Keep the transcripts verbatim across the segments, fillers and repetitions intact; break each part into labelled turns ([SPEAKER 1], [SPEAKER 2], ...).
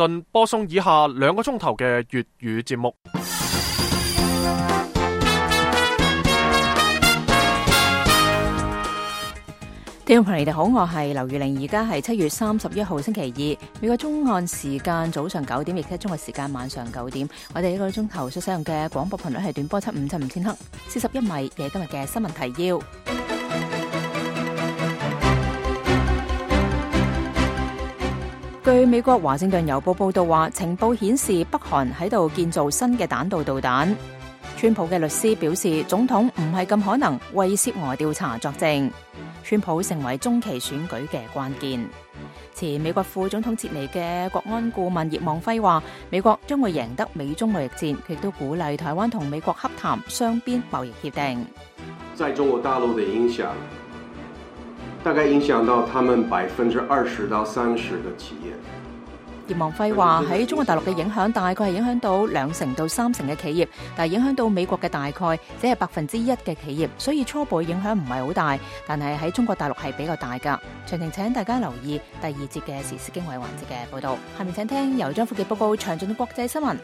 [SPEAKER 1] 頓播送以下兩個鐘頭嘅粵語節目。
[SPEAKER 2] 聽眾朋友，你哋好，我係劉玉玲，而家係七月三十一號星期二，美國中岸時間早上九點，亦即係中國時間晚上九點。我哋呢個鐘頭所使用嘅廣播頻率係短波七五七五千赫，四十一米嘅今日嘅新聞提要。據美國華盛頓郵報報道話，情報顯示北韓喺度建造新嘅彈道導彈。川普嘅律師表示，總統唔係咁可能為涉俄調查作證。川普成為中期選舉嘅關鍵。前美國副總統捷尼嘅國安顧問葉望輝話，美國將會贏得美中貿易戰，佢亦都鼓勵台灣同美國洽談雙邊貿易協定。
[SPEAKER 3] 在中國大陸的影響，大概影響到他們百分之二十到三十嘅企業。
[SPEAKER 2] 葉望輝話，喺中國大陸嘅影響大概係影響到兩成到三成嘅企業，但係影響到美國嘅大概只係百分之一嘅企業，所以初步影響唔係好大，但係喺中國大陸係比較大噶。詳情請大家留意第二節嘅時事經緯環節嘅報道。下面請聽由張富傑報告詳盡嘅國際新聞。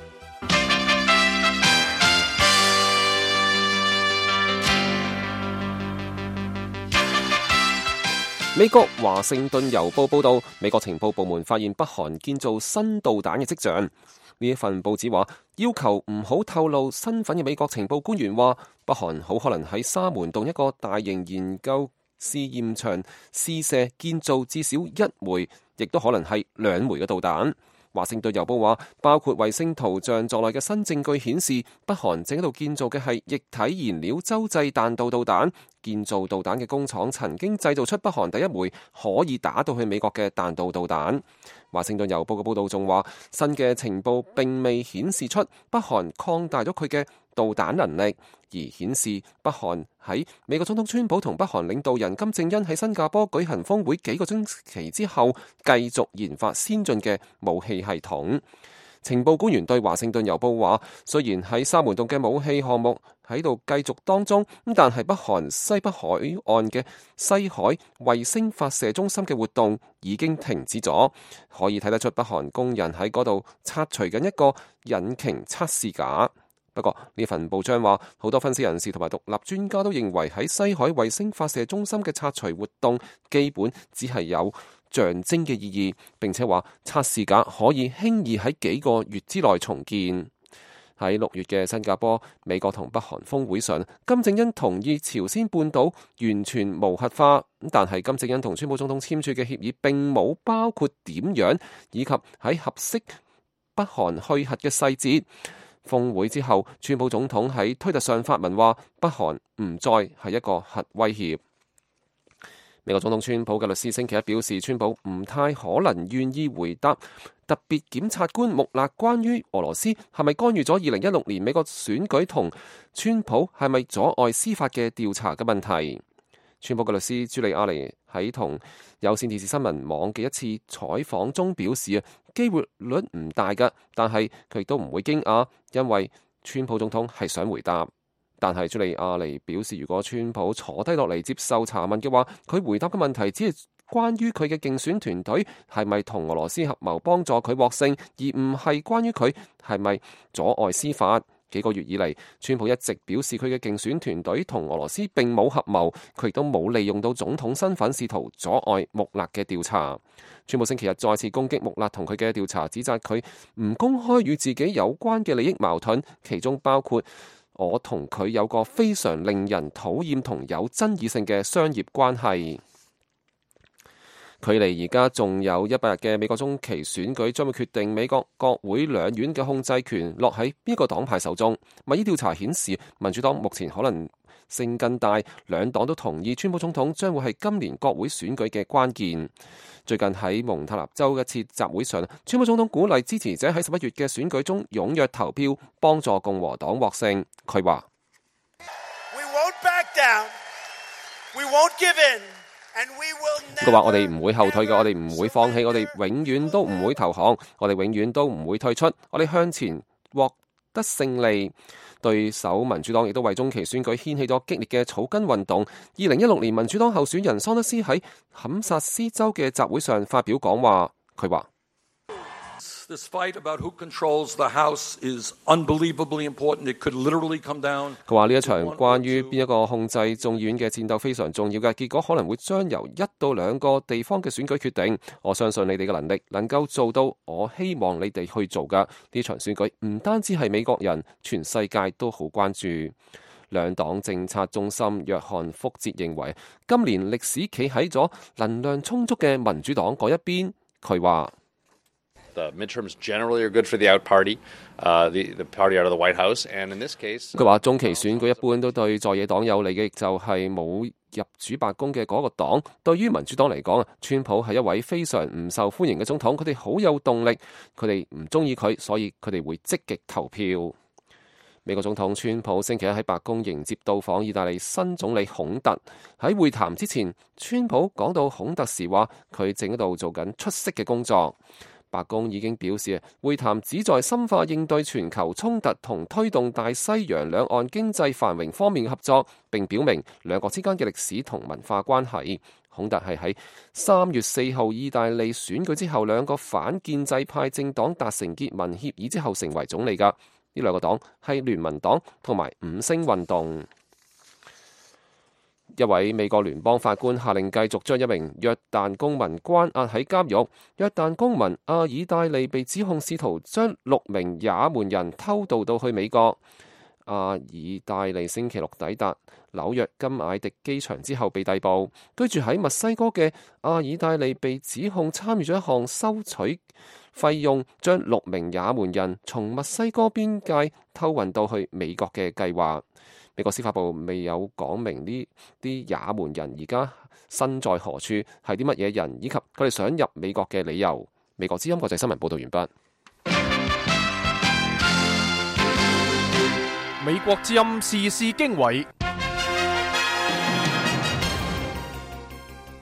[SPEAKER 4] 美國華盛頓郵報報道，美國情報部門發現北韓建造新導彈嘅跡象。呢一份報紙話，要求唔好透露身份嘅美國情報官員話，北韓好可能喺沙門洞一個大型研究試驗場試射建造至少一枚，亦都可能係兩枚嘅導彈。華盛頓郵報話，包括衛星圖像在內嘅新證據顯示，北韓正喺度建造嘅係液體燃料洲際彈道導彈。建造導彈嘅工廠曾經製造出北韓第一枚可以打到去美國嘅彈道導彈。華盛頓郵報嘅報道仲話，新嘅情報並未顯示出北韓擴大咗佢嘅導彈能力，而顯示北韓喺美國總統川普同北韓領導人金正恩喺新加坡舉行峰會幾個星期之後，繼續研發先進嘅武器系統。情報官員對華盛頓郵報話，雖然喺沙門洞嘅武器項目喺度繼續當中，但係北韓西北海岸嘅西海衛星發射中心嘅活動已經停止咗，可以睇得出北韓工人喺嗰度拆除緊一個引擎測試架。不過呢份報章話，好多分析人士同埋獨立專家都認為喺西海衛星發射中心嘅拆除活動基本只係有象徵嘅意義，並且話測試架可以輕易喺幾個月之內重建。喺六月嘅新加坡美國同北韓峰會上，金正恩同意朝鮮半島完全無核化，但係金正恩同川普總統簽署嘅協議並冇包括點樣以及喺合適北韓去核嘅細節。峰會之後，川普總統喺推特上發文話，北韓唔再係一個核威脅。美國總統川普嘅律師星期一表示，川普唔太可能願意回答特別檢察官穆勒關於俄羅斯係咪干預咗二零一六年美國選舉同川普係咪阻礙司法嘅調查嘅問題。川普嘅律師朱利亞尼喺同有線電視新聞網嘅一次採訪中表示啊，機會率唔大㗎，但係佢亦都唔會驚訝，因為川普總統係想回答。但係朱利亞尼表示，如果川普坐低落嚟接受查問嘅話，佢回答嘅問題只係關於佢嘅競選團隊係咪同俄羅斯合謀幫助佢獲勝，而唔係關於佢係咪阻礙司法。幾個月以嚟，川普一直表示佢嘅競選團隊同俄羅斯並冇合謀，佢亦都冇利用到總統身份試圖阻礙穆勒嘅調查。川普星期日再次攻擊穆勒同佢嘅調查，指責佢唔公開與自己有關嘅利益矛盾，其中包括我同佢有個非常令人討厭同有爭議性嘅商業關係。距離而家仲有一百日嘅美國中期選舉將會決定美國國會兩院嘅控制權落喺邊個黨派手中。民意調查顯示，民主黨目前可能性更大，兩黨都同意川普總統將會係今年國會選舉嘅關鍵。最近喺蒙塔納州一次集會上，川普總統鼓勵支持者喺十一月嘅選舉中踴躍投票，幫助共和黨獲勝。佢話
[SPEAKER 5] ：We won't back down. We won't give in.
[SPEAKER 4] 佢話：我哋唔會後退嘅，我哋唔會放棄，我哋永遠都唔會投降，我哋永遠都唔會退出，我哋向前獲得勝利。對手民主黨亦都為中期選舉掀起咗激烈嘅草根運動。二零一六年民主黨候選人桑德斯喺堪薩斯州嘅集會上發表講話，佢話
[SPEAKER 6] This fight about who controls the House is unbelievably important. It could literally come down.
[SPEAKER 4] 佢話呢一場關於邊一個控制眾議院嘅戰鬥非常重要嘅，結果可能會將由一到兩個地方嘅選舉決定。我相信你哋嘅能力能夠做到，我希望你哋去做㗎。呢場選舉唔單止係美國人，全世界都好關注。兩黨政策中心約翰福哲認為，今年歷史企喺咗能量充足嘅民主黨嗰一邊。佢話
[SPEAKER 7] The midterms generally are good for the out party, uh, the, the party out of the White House, and in this case,
[SPEAKER 4] 佢話中期選舉一般都對在野黨有利嘅，亦就係冇入主白宮嘅嗰個黨。對於民主黨嚟講啊，川普係一位非常唔受歡迎嘅總統，佢哋好有動力，佢哋唔中意佢，所以佢哋會積極投票。美國總統川普星期一喺白宮迎接到訪意大利新總理孔特。喺會談之前，川普講到孔特時話，佢正喺度做緊出色嘅工作。白宮已經表示，會談旨在深化應對全球衝突同推動大西洋兩岸經濟繁榮方面嘅合作，並表明兩國之間嘅歷史同文化關係。孔特係喺三月四號意大利選舉之後，兩個反建制派政黨達成結盟協議之後成為總理㗎。呢兩個黨係聯盟黨同埋五星運動。一位美國聯邦法官下令繼續將一名約旦公民關押喺監獄。約旦公民阿爾戴利被指控試圖將六名也門人偷渡到去美國。阿爾戴利星期六抵達紐約金艾迪機場之後被逮捕。居住喺墨西哥嘅阿爾戴利被指控參與咗一項收取費用將六名也門人從墨西哥邊界偷運到去美國嘅計劃。美國司法部未有講明呢啲也門人而家身在何處，係啲乜嘢人，以及佢哋想入美國嘅理由。美國之音國際新聞報道完畢。
[SPEAKER 1] 美國之音時事經緯，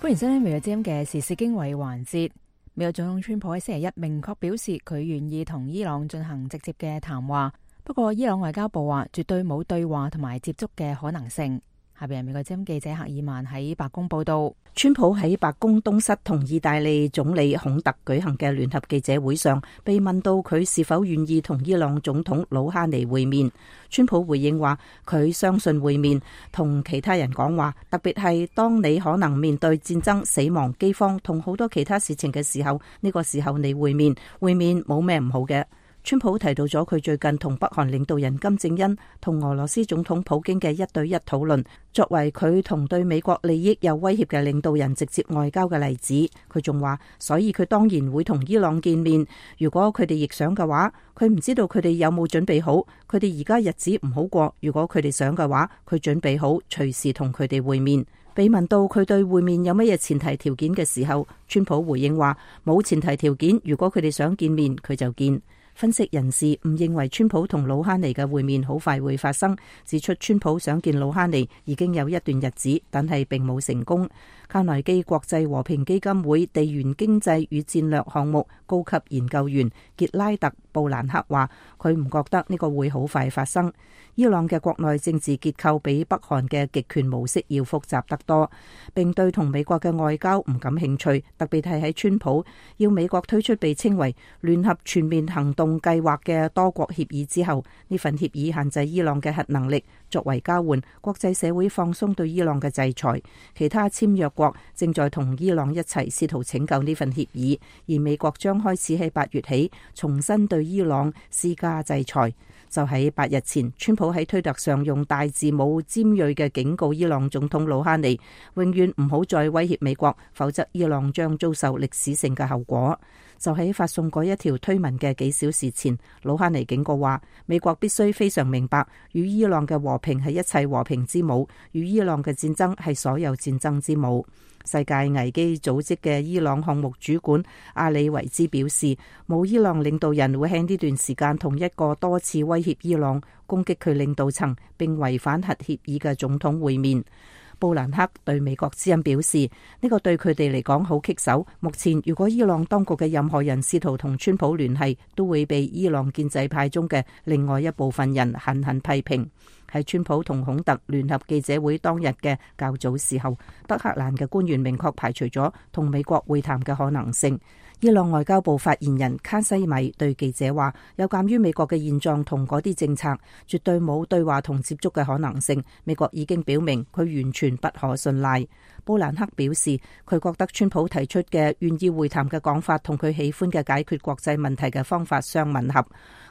[SPEAKER 2] 歡迎收聽美國之音嘅時事經緯環節。美國總統川普喺星期一明確表示，佢願意同伊朗進行直接嘅談話。不過，伊朗外交部話絕對冇對話同埋接觸嘅可能性。下邊係美國之音記者赫爾曼喺白宮報道，
[SPEAKER 8] 川普喺白宮東室同意大利總理孔特舉行嘅聯合記者會上，被問到佢是否願意同伊朗總統魯哈尼會面。川普回應話，佢相信會面，同其他人講話，特別係當你可能面對戰爭、死亡、饑荒同好多其他事情嘅時候，呢個時候你會面，會面冇咩唔好嘅。川普提到咗佢最近同北韓領導人金正恩同俄羅斯總統普京嘅一對一討論，作為佢同對美國利益有威脅嘅領導人直接外交嘅例子。佢仲話，所以佢當然會同伊朗見面，如果佢哋亦想嘅話。佢唔知道佢哋有冇準備好，佢哋而家日子唔好過，如果佢哋想嘅話，佢準備好隨時同佢哋會面。被問到佢對會面有乜嘢前提條件嘅時候，川普回應話，冇前提條件，如果佢哋想見面，佢就見。分析人士唔認為川普同魯哈尼嘅會面好快會發生，指出川普想見魯哈尼已經有一段日子，但係並冇成功。卡內基國際和平基金會地緣經濟與戰略項目高級研究員傑拉特布蘭克話，佢唔覺得呢個會好快發生。伊朗嘅國內政治結構比北韓嘅極權模式要複雜得多，並對同美國嘅外交唔感興趣，特別係喺川普要美國推出被稱為聯合全面行動計劃嘅多國協議之後，呢份協議限制伊朗嘅核能力，作為交換，國際社會放鬆對伊朗嘅制裁。其他簽約國正在同伊朗一齊試圖拯救呢份協議，而美國將開始喺八月起重新對伊朗施加制裁。就喺八日前，川普喺推特上用大字母尖銳嘅警告伊朗總統魯哈尼，永遠唔好再威脅美國，否則伊朗將遭受歷史性嘅後果。就喺發送嗰一條推文嘅幾小時前，魯哈尼警告話，美國必須非常明白，與伊朗嘅和平係一切和平之母，與伊朗嘅戰爭係所有戰爭之母。世界危機組織嘅伊朗項目主管阿里維茲表示，冇伊朗領導人會喺呢段時間同一個多次威脅伊朗、攻擊佢領導層並違反核協議嘅總統會面。布蘭克對美國之音表示，呢個對佢哋嚟講好棘手。目前如果伊朗當局嘅任何人試圖同川普聯繫，都會被伊朗建制派中嘅另外一部分人狠狠批評。喺川普同孔特聯合記者會當日嘅較早時候，德黑蘭嘅官員明確排除咗同美國會談嘅可能性。伊朗外交部發言人卡西米對記者話，有鑑於美國嘅現狀同嗰啲政策，絕對冇對話同接觸嘅可能性。美國已經表明佢完全不可信賴。布蘭克表示，佢覺得川普提出嘅願意會談嘅講法同佢喜歡嘅解決國際問題嘅方法相吻合。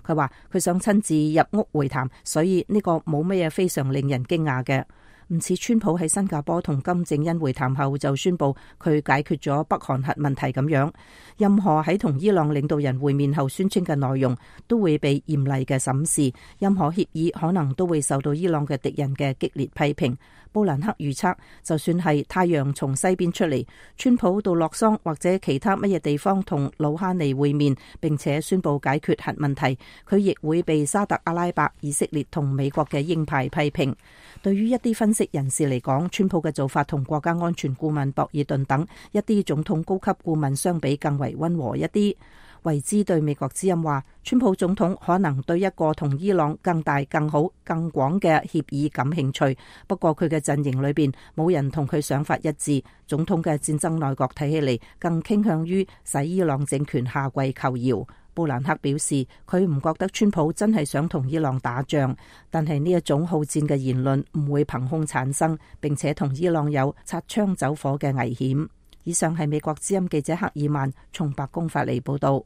[SPEAKER 8] 佢話佢想親自入屋會談，所以呢個冇乜嘢非常令人驚訝嘅。唔似川普喺新加坡同金正恩會談後就宣布佢解決咗北韓核問題咁樣，任何喺同伊朗領導人會面後宣稱嘅內容都會被嚴厲嘅審視，任何協議可能都會受到伊朗嘅敵人嘅激烈批評。布蘭克預測，就算係太陽從西邊出嚟，川普到洛桑或者其他乜嘢地方同魯哈尼會面，並且宣布解決核問題，佢亦會被沙特阿拉伯、以色列同美國嘅鷹派批評。對於一啲分析人士嚟講，川普嘅做法同國家安全顧問博爾頓等一啲總統高級顧問相比更為溫和一啲。維茲對美國之音話，川普總統可能對一個同伊朗更大、更好、更廣嘅協議感興趣，不過佢嘅陣營裏邊冇人同佢想法一致。總統嘅戰爭內閣睇起嚟更傾向於使伊朗政權下跪求饒。布蘭克表示，佢唔覺得川普真係想同伊朗打仗，但係呢一種好戰嘅言論唔會憑空產生，並且同伊朗有擦槍走火嘅危險。以上係美國之音記者克爾曼從白宮發嚟報道。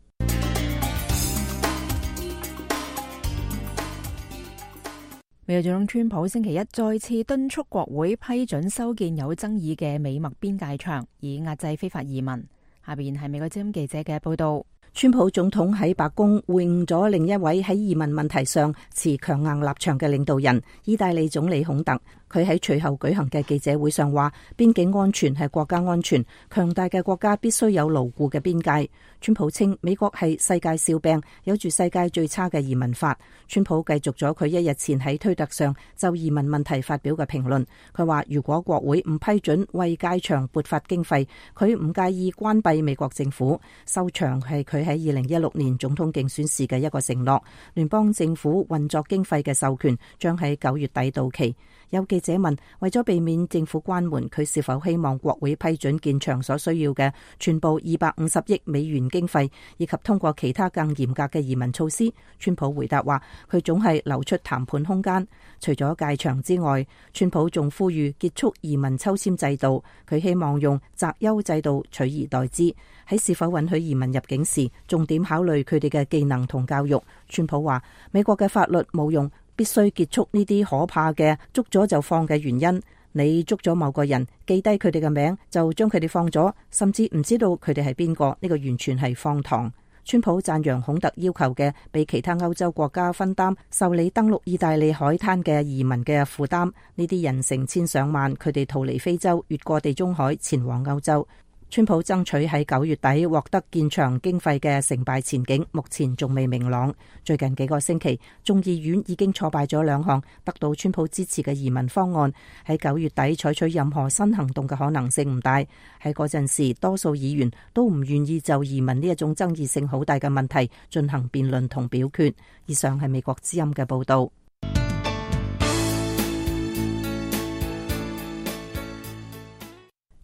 [SPEAKER 2] 美國總統川普星期一再次敦促國會批准修建有爭議嘅美墨邊界牆，以壓制非法移民。下邊係美國之音記者嘅報道。
[SPEAKER 8] 川普總統喺白宮會晤咗另一位喺移民問題上持強硬立場嘅領導人，意大利總理孔特。佢喺隨後舉行嘅記者會上話，邊境安全係國家安全，強大嘅國家必須有牢固嘅邊界。川普稱美國係世界笑柄，有住世界最差嘅移民法。川普繼續咗佢一日前喺推特上就移民問題發表嘅評論。佢話如果國會唔批准為界牆撥發經費，佢唔介意關閉美國政府。收牆係佢喺二零一六年總統競選時嘅一個承諾。聯邦政府運作經費嘅授權將喺九月底到期。有記者問，為咗避免政府關門，佢是否希望國會批准建牆所需要嘅全部二百五十億美元經費，以及通過其他更嚴格嘅移民措施？川普回答話，佢總係留出談判空間。除咗界牆之外，川普仲呼籲結束移民抽籤制度，佢希望用擇優制度取而代之。喺是否允許移民入境時，重點考慮佢哋嘅技能同教育。川普話，美國嘅法律冇用，必須結束呢啲可怕嘅捉咗就放嘅原因。你捉咗某個人，記低佢哋嘅名，就將佢哋放咗，甚至唔知道佢哋係邊個，呢個完全係荒唐。川普讚揚孔特要求嘅被其他歐洲國家分擔受理登陸意大利海灘嘅移民嘅負擔。呢啲人成千上萬，佢哋逃離非洲，越過地中海前往歐洲。川普爭取喺九月底獲得建牆經費嘅成敗前景目前仲未明朗。最近幾個星期，眾議院已經挫敗咗兩項得到川普支持嘅移民方案，喺九月底採取任何新行動嘅可能性唔大。喺嗰陣時，多數議員都唔願意就移民呢一種爭議性好大嘅問題進行辯論同表決。以上係美國之音嘅報道。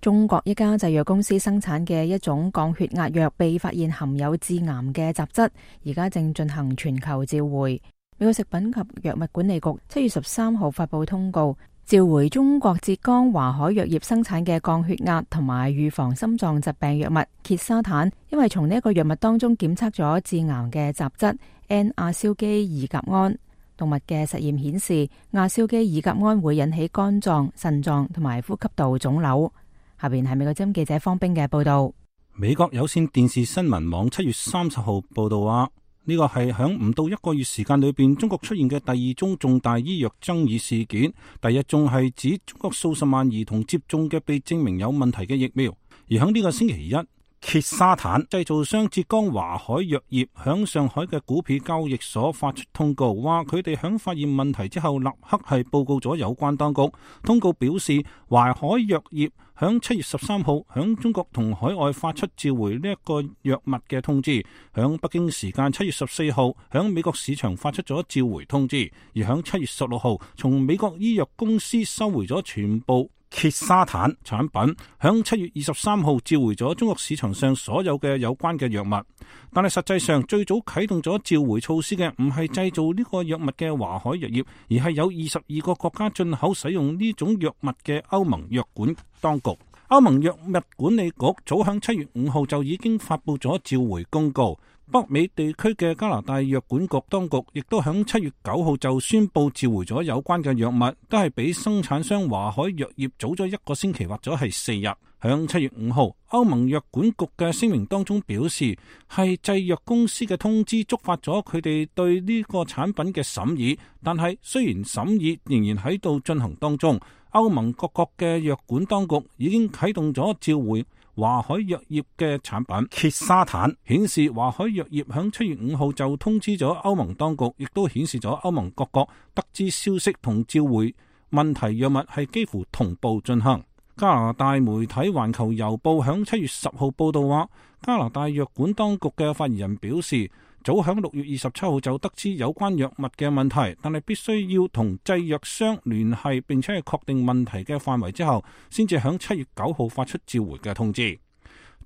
[SPEAKER 2] 中國一家製藥公司生產嘅一種降血壓藥被發現含有致癌嘅雜質，而家正進行全球召回。美國食品及藥物管理局七月十三號發佈通告，召回中國浙江華海藥業生產嘅降血壓同埋預防心臟疾病藥物羧沙坦，因為從呢一個藥物當中檢測咗致癌嘅雜質 N 亞硝基二甲胺。動物嘅實驗顯示，亞硝基二甲胺會引起肝臟、腎臟同埋呼吸道腫瘤。下邊係美國之音記者方冰嘅報道。
[SPEAKER 9] 美國有線電視新聞網七月三十號報道話，呢個係響唔到一個月時間裏邊，中國出現嘅第二宗重大醫藥爭議事件。第一宗係指中國數十萬兒童接種嘅被證明有問題嘅疫苗。而響呢個星期一，羧沙坦製造商浙江華海藥業響上海嘅股票交易所發出通告，話佢哋響發現問題之後立刻係報告咗有關當局。通告表示，華海藥業響七月十三號響中國同海外發出召回呢一個藥物嘅通知，響北京時間七月十四號響美國市場發出咗召回通知，而響七月十六號從美國醫藥公司收回咗全部羧沙坦產品，響七月二十三號召回咗中國市場上所有嘅有關嘅藥物。但係實際上最早啟動咗召回措施嘅唔係製造呢個藥物嘅華海藥業，而係有二十二個國家進口使用呢種藥物嘅歐盟藥管當局。歐盟藥物管理局早響七月五號就已經發布咗召回公告。北美地區嘅加拿大藥管局當局亦都響七月九號就宣布召回咗有關嘅藥物，都係比生產商華海藥業早咗一個星期或者係四日。響七月五號，歐盟藥管局嘅聲明當中表示，係製藥公司嘅通知觸發咗佢哋對呢個產品嘅審議，但係雖然審議仍然喺度進行當中，歐盟各國嘅藥管當局已經啟動咗召回華海藥業嘅產品羧沙坦，顯示華海藥業響七月五號就通知咗歐盟當局，亦都顯示咗歐盟各國得知消息同召回問題藥物係幾乎同步進行。加拿大媒體環球郵報響七月十號報道話，加拿大藥管當局嘅發言人表示，早響六月二十七號就得知有關藥物嘅問題，但係必須要同製藥商聯繫並且係確定問題嘅範圍之後，先至響七月九號發出召回嘅通知。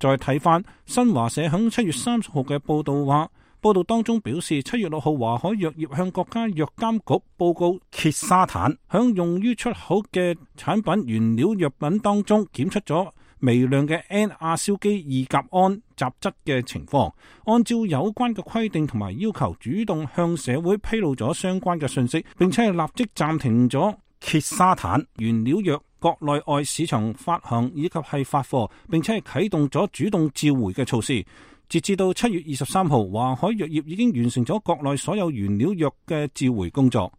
[SPEAKER 9] 再睇翻新華社響七月三十號嘅報道話，報道當中表示，七月六號華海藥業向國家藥監局報告羧沙坦響用於出口嘅產品原料藥品當中檢出咗微量嘅 N 亞硝基二甲胺雜質嘅情況，按照有關嘅規定同埋要求，主動向社會披露咗相關嘅信息，並且係立即暫停咗羧沙坦原料藥國內外市場發行以及係發貨，並且係啟動咗主動召回嘅措施。截至到七月二十三號，華海藥業已經完成咗國內所有原料藥嘅召回工作。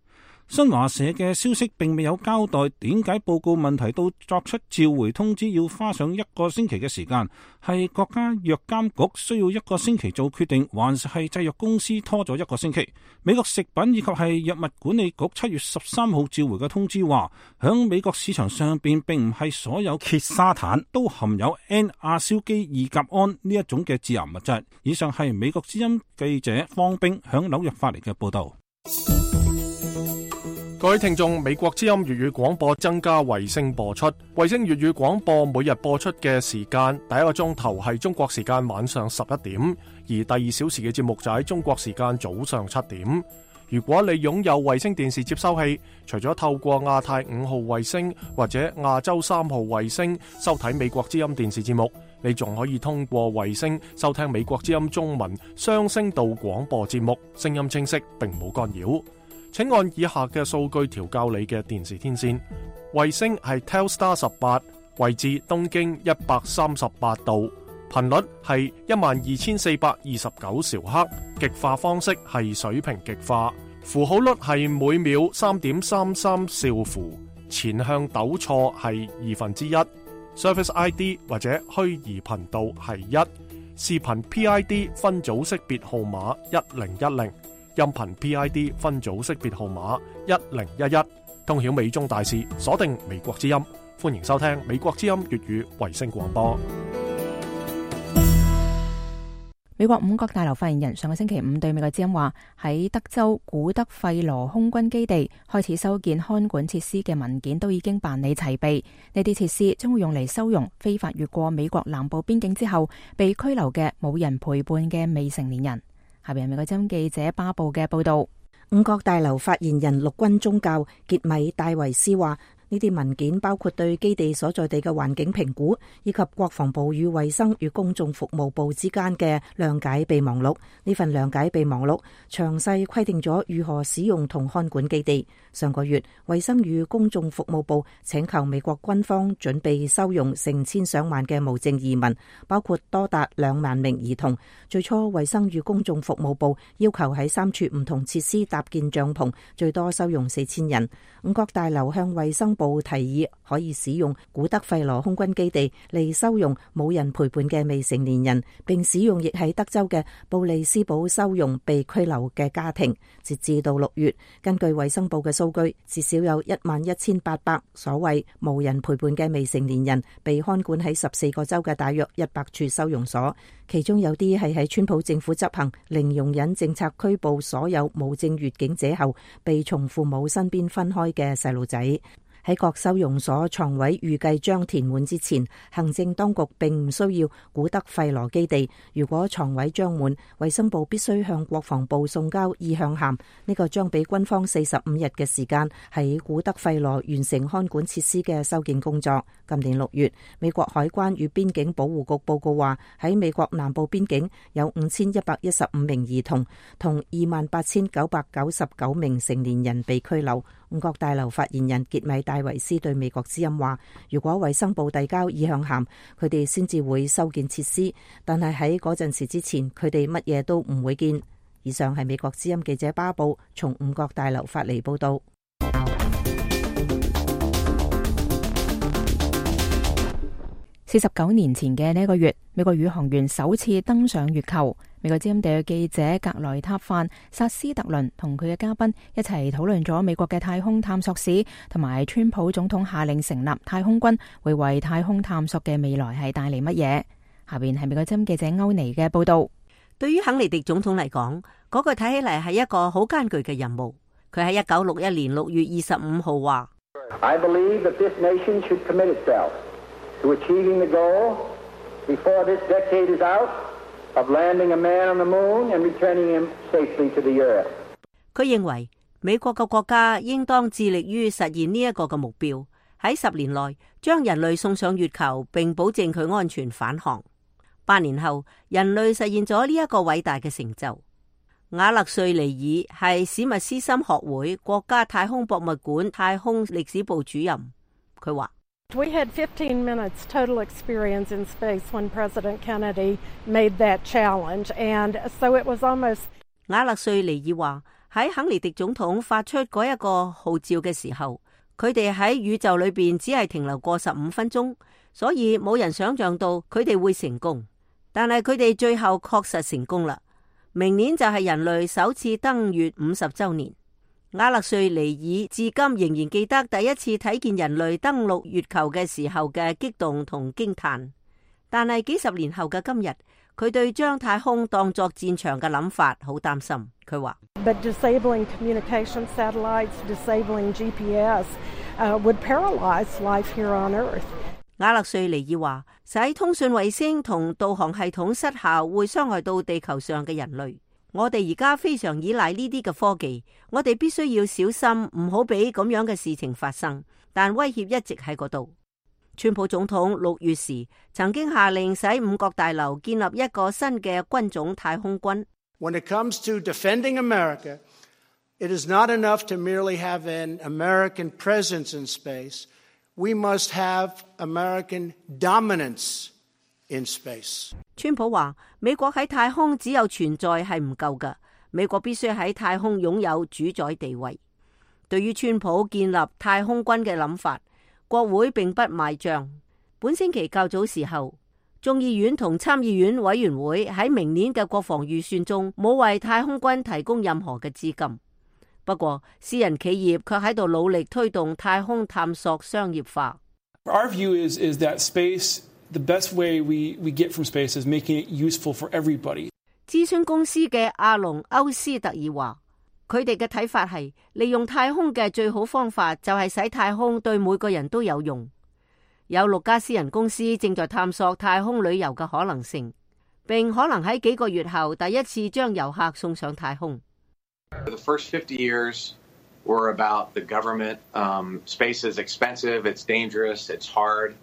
[SPEAKER 9] 新華社嘅消息並未有交代點解報告問題到作出召回通知要花上一個星期嘅時間，係國家藥監局需要一個星期做決定，還是係製藥公司拖咗一個星期？美國食品以及係藥物管理局七月十三號召回嘅通知話，響美國市場上邊並唔係所有羧沙坦都含有 N 亞硝基二甲胺呢一種嘅致癌物質。以上係美國之音記者方冰響紐約發嚟嘅報道。
[SPEAKER 1] 各位聽眾，美國之音粵語廣播增加衛星播出，衛星粵語廣播每日播出嘅時間，第一個鐘頭係中國時間晚上十一點，而第二小時嘅節目就喺中國時間早上七點。如果你擁有衛星電視接收器，除咗透過亞太五號衛星或者亞洲三號衛星收睇美國之音電視節目，你仲可以通過衛星收聽美國之音中文雙聲道廣播節目，聲音清晰並冇干擾。請按以下嘅數據調校你嘅電視天線。衛星係 Telstar 十八，位置東經一百三十八度，頻率係一萬二千四百二十九兆赫，極化方式係水平極化，符號率係每秒三點三三兆符，前向抖錯係二分之一，Service I D 或者虛擬頻道係一，視頻 P I D 分組識別號碼一零一零。音頻 P I D 分組識別號碼一零一一，通曉美中大事，鎖定美國之音，歡迎收聽美國之音粵語衛星廣播。
[SPEAKER 2] 美國五角大樓發言人上個星期五對美國之音話，喺德州古德費羅空軍基地開始修建看管設施嘅文件都已經辦理齊備，呢啲設施將會用嚟收容非法越過美國南部邊境之後被拘留嘅冇人陪伴嘅未成年人。下邊係美國之音記者巴布嘅報道。
[SPEAKER 8] 五角大樓發言人陸軍中校傑米戴維斯話，呢啲文件包括對基地所在地嘅環境評估，以及國防部與衛生與公眾服務部之間嘅諒解備忘錄。呢份諒解備忘錄詳細規定咗如何使用同看管基地。上個月，衛生與公眾服務部請求美國軍方準備收容成千上萬嘅無證移民，包括多達兩萬名兒童。最初，衛生與公眾服務部要求喺三處唔同設施搭建帳篷，最多收容四千人。五角大樓向衛生部提議可以使用古德費羅空軍基地嚟收容冇人陪伴嘅未成年人，並使用亦喺德州嘅布里斯堡收容被拘留嘅家庭。截至到六月，根據衛生部嘅數據，至少有一萬一千八百所謂無人陪伴嘅未成年人被看管喺十四個州嘅大約一百處收容所，其中有啲係喺川普政府執行零容忍政策拘捕所有無證越境者後被從父母身邊分開嘅細路仔。喺各收容所床位預計將填滿之前，行政當局並唔需要古德費羅基地。如果床位將滿，衛生部必須向國防部送交意向函。呢個將俾軍方四十五日嘅時間喺古德費羅完成看管設施嘅修建工作。今年六月，美國海關與邊境保護局報告話，喺美國南部邊境有五千一百一十五名兒童同二萬八千九百九十九名成年人被拘留。五角大樓發言人傑米戴維斯對美國之音話，如果衛生部遞交意向函，佢哋先至會修建設施，但係喺嗰陣時之前，佢哋乜嘢都唔會建。以上係美國之音記者巴布從五角大樓發嚟報道。
[SPEAKER 2] 四十九年前嘅呢一個月，美國宇航員首次登上月球。美國之音地嘅記者格萊塔範薩斯特倫同佢嘅嘉賓一齊討論咗美國嘅太空探索史，同埋川普總統下令成立太空軍會為太空探索嘅未來係帶嚟乜嘢。下邊係美國之音記者歐尼嘅報道。
[SPEAKER 10] 對於肯尼迪總統嚟講，嗰個睇起嚟係一個好艱巨嘅任務。佢喺一九六一年六月二十五號話
[SPEAKER 11] I believe that this nation should commit itself to achieving the goal before this decade is out of landing a man on the moon and returning him safely to the earth.
[SPEAKER 10] 佢認為美國嘅國家應當致力於實現呢一個嘅目標，喺十年內將人類送上月球，並保證佢安全返航。八年後，人類實現咗呢一個偉大嘅成就。瓦勒瑞尼爾係史密斯森學會國家太空博物館太空歷史部主任，佢話
[SPEAKER 12] We had fifteen minutes total experience in space when President Kennedy made that challenge, and so it was almost.
[SPEAKER 10] 瓦勒瑞尼爾話喺肯尼迪總統發出嗰一個號召嘅時候，佢哋喺宇宙裏邊只係停留過十五分鐘，所以冇人想象到佢哋會成功。但係佢哋最後確實成功啦。明年就係人類首次登月五十周年。瓦勒瑞尼爾至今仍然記得第一次睇見人類登陸月球嘅時候嘅激動同驚嘆，但係幾十年後嘅今日，佢對將太空當作戰場嘅諗法好擔心。佢話
[SPEAKER 12] But disabling communication satellites, disabling G P S, uh, would paralyze life here on Earth.
[SPEAKER 10] 瓦勒瑞尼爾話，使通訊衛星同導航系統失效會傷害到地球上嘅人類。我哋而家非常依賴呢啲嘅科技，我哋必須要小心，唔好俾咁樣嘅事情發生。但威脅一直喺嗰度。川普總統六月時曾經下令使五角大樓建立一個新嘅軍種太空軍。
[SPEAKER 5] When it comes to defending America, it is not enough to merely have an American presence in space. We must have American dominance in space.
[SPEAKER 10] 川普話美國喺太空只有存在係唔夠㗎，美國必須喺太空擁有主宰地位。對於川普建立太空軍嘅諗法，國會並不買賬。本星期較早時候，眾議院同參議院委員會喺明年嘅國防預算中冇為太空軍提供任何嘅資金。不過私人企業卻喺度努力推動太空探索商業化。
[SPEAKER 13] Our view is, is that space The best way we, we get from space is making it useful for everybody.
[SPEAKER 10] 諮詢公司嘅阿隆歐斯特爾話，佢哋嘅睇法係利用太空嘅最好方法就係使太空對每個人都有用。有六家私人公司正在探索太空旅遊嘅可能性，並可能喺幾個月後第一次將遊客送上太空。
[SPEAKER 14] The first fifty years were about the government. Um, space is expensive, it's dangerous, it's hard.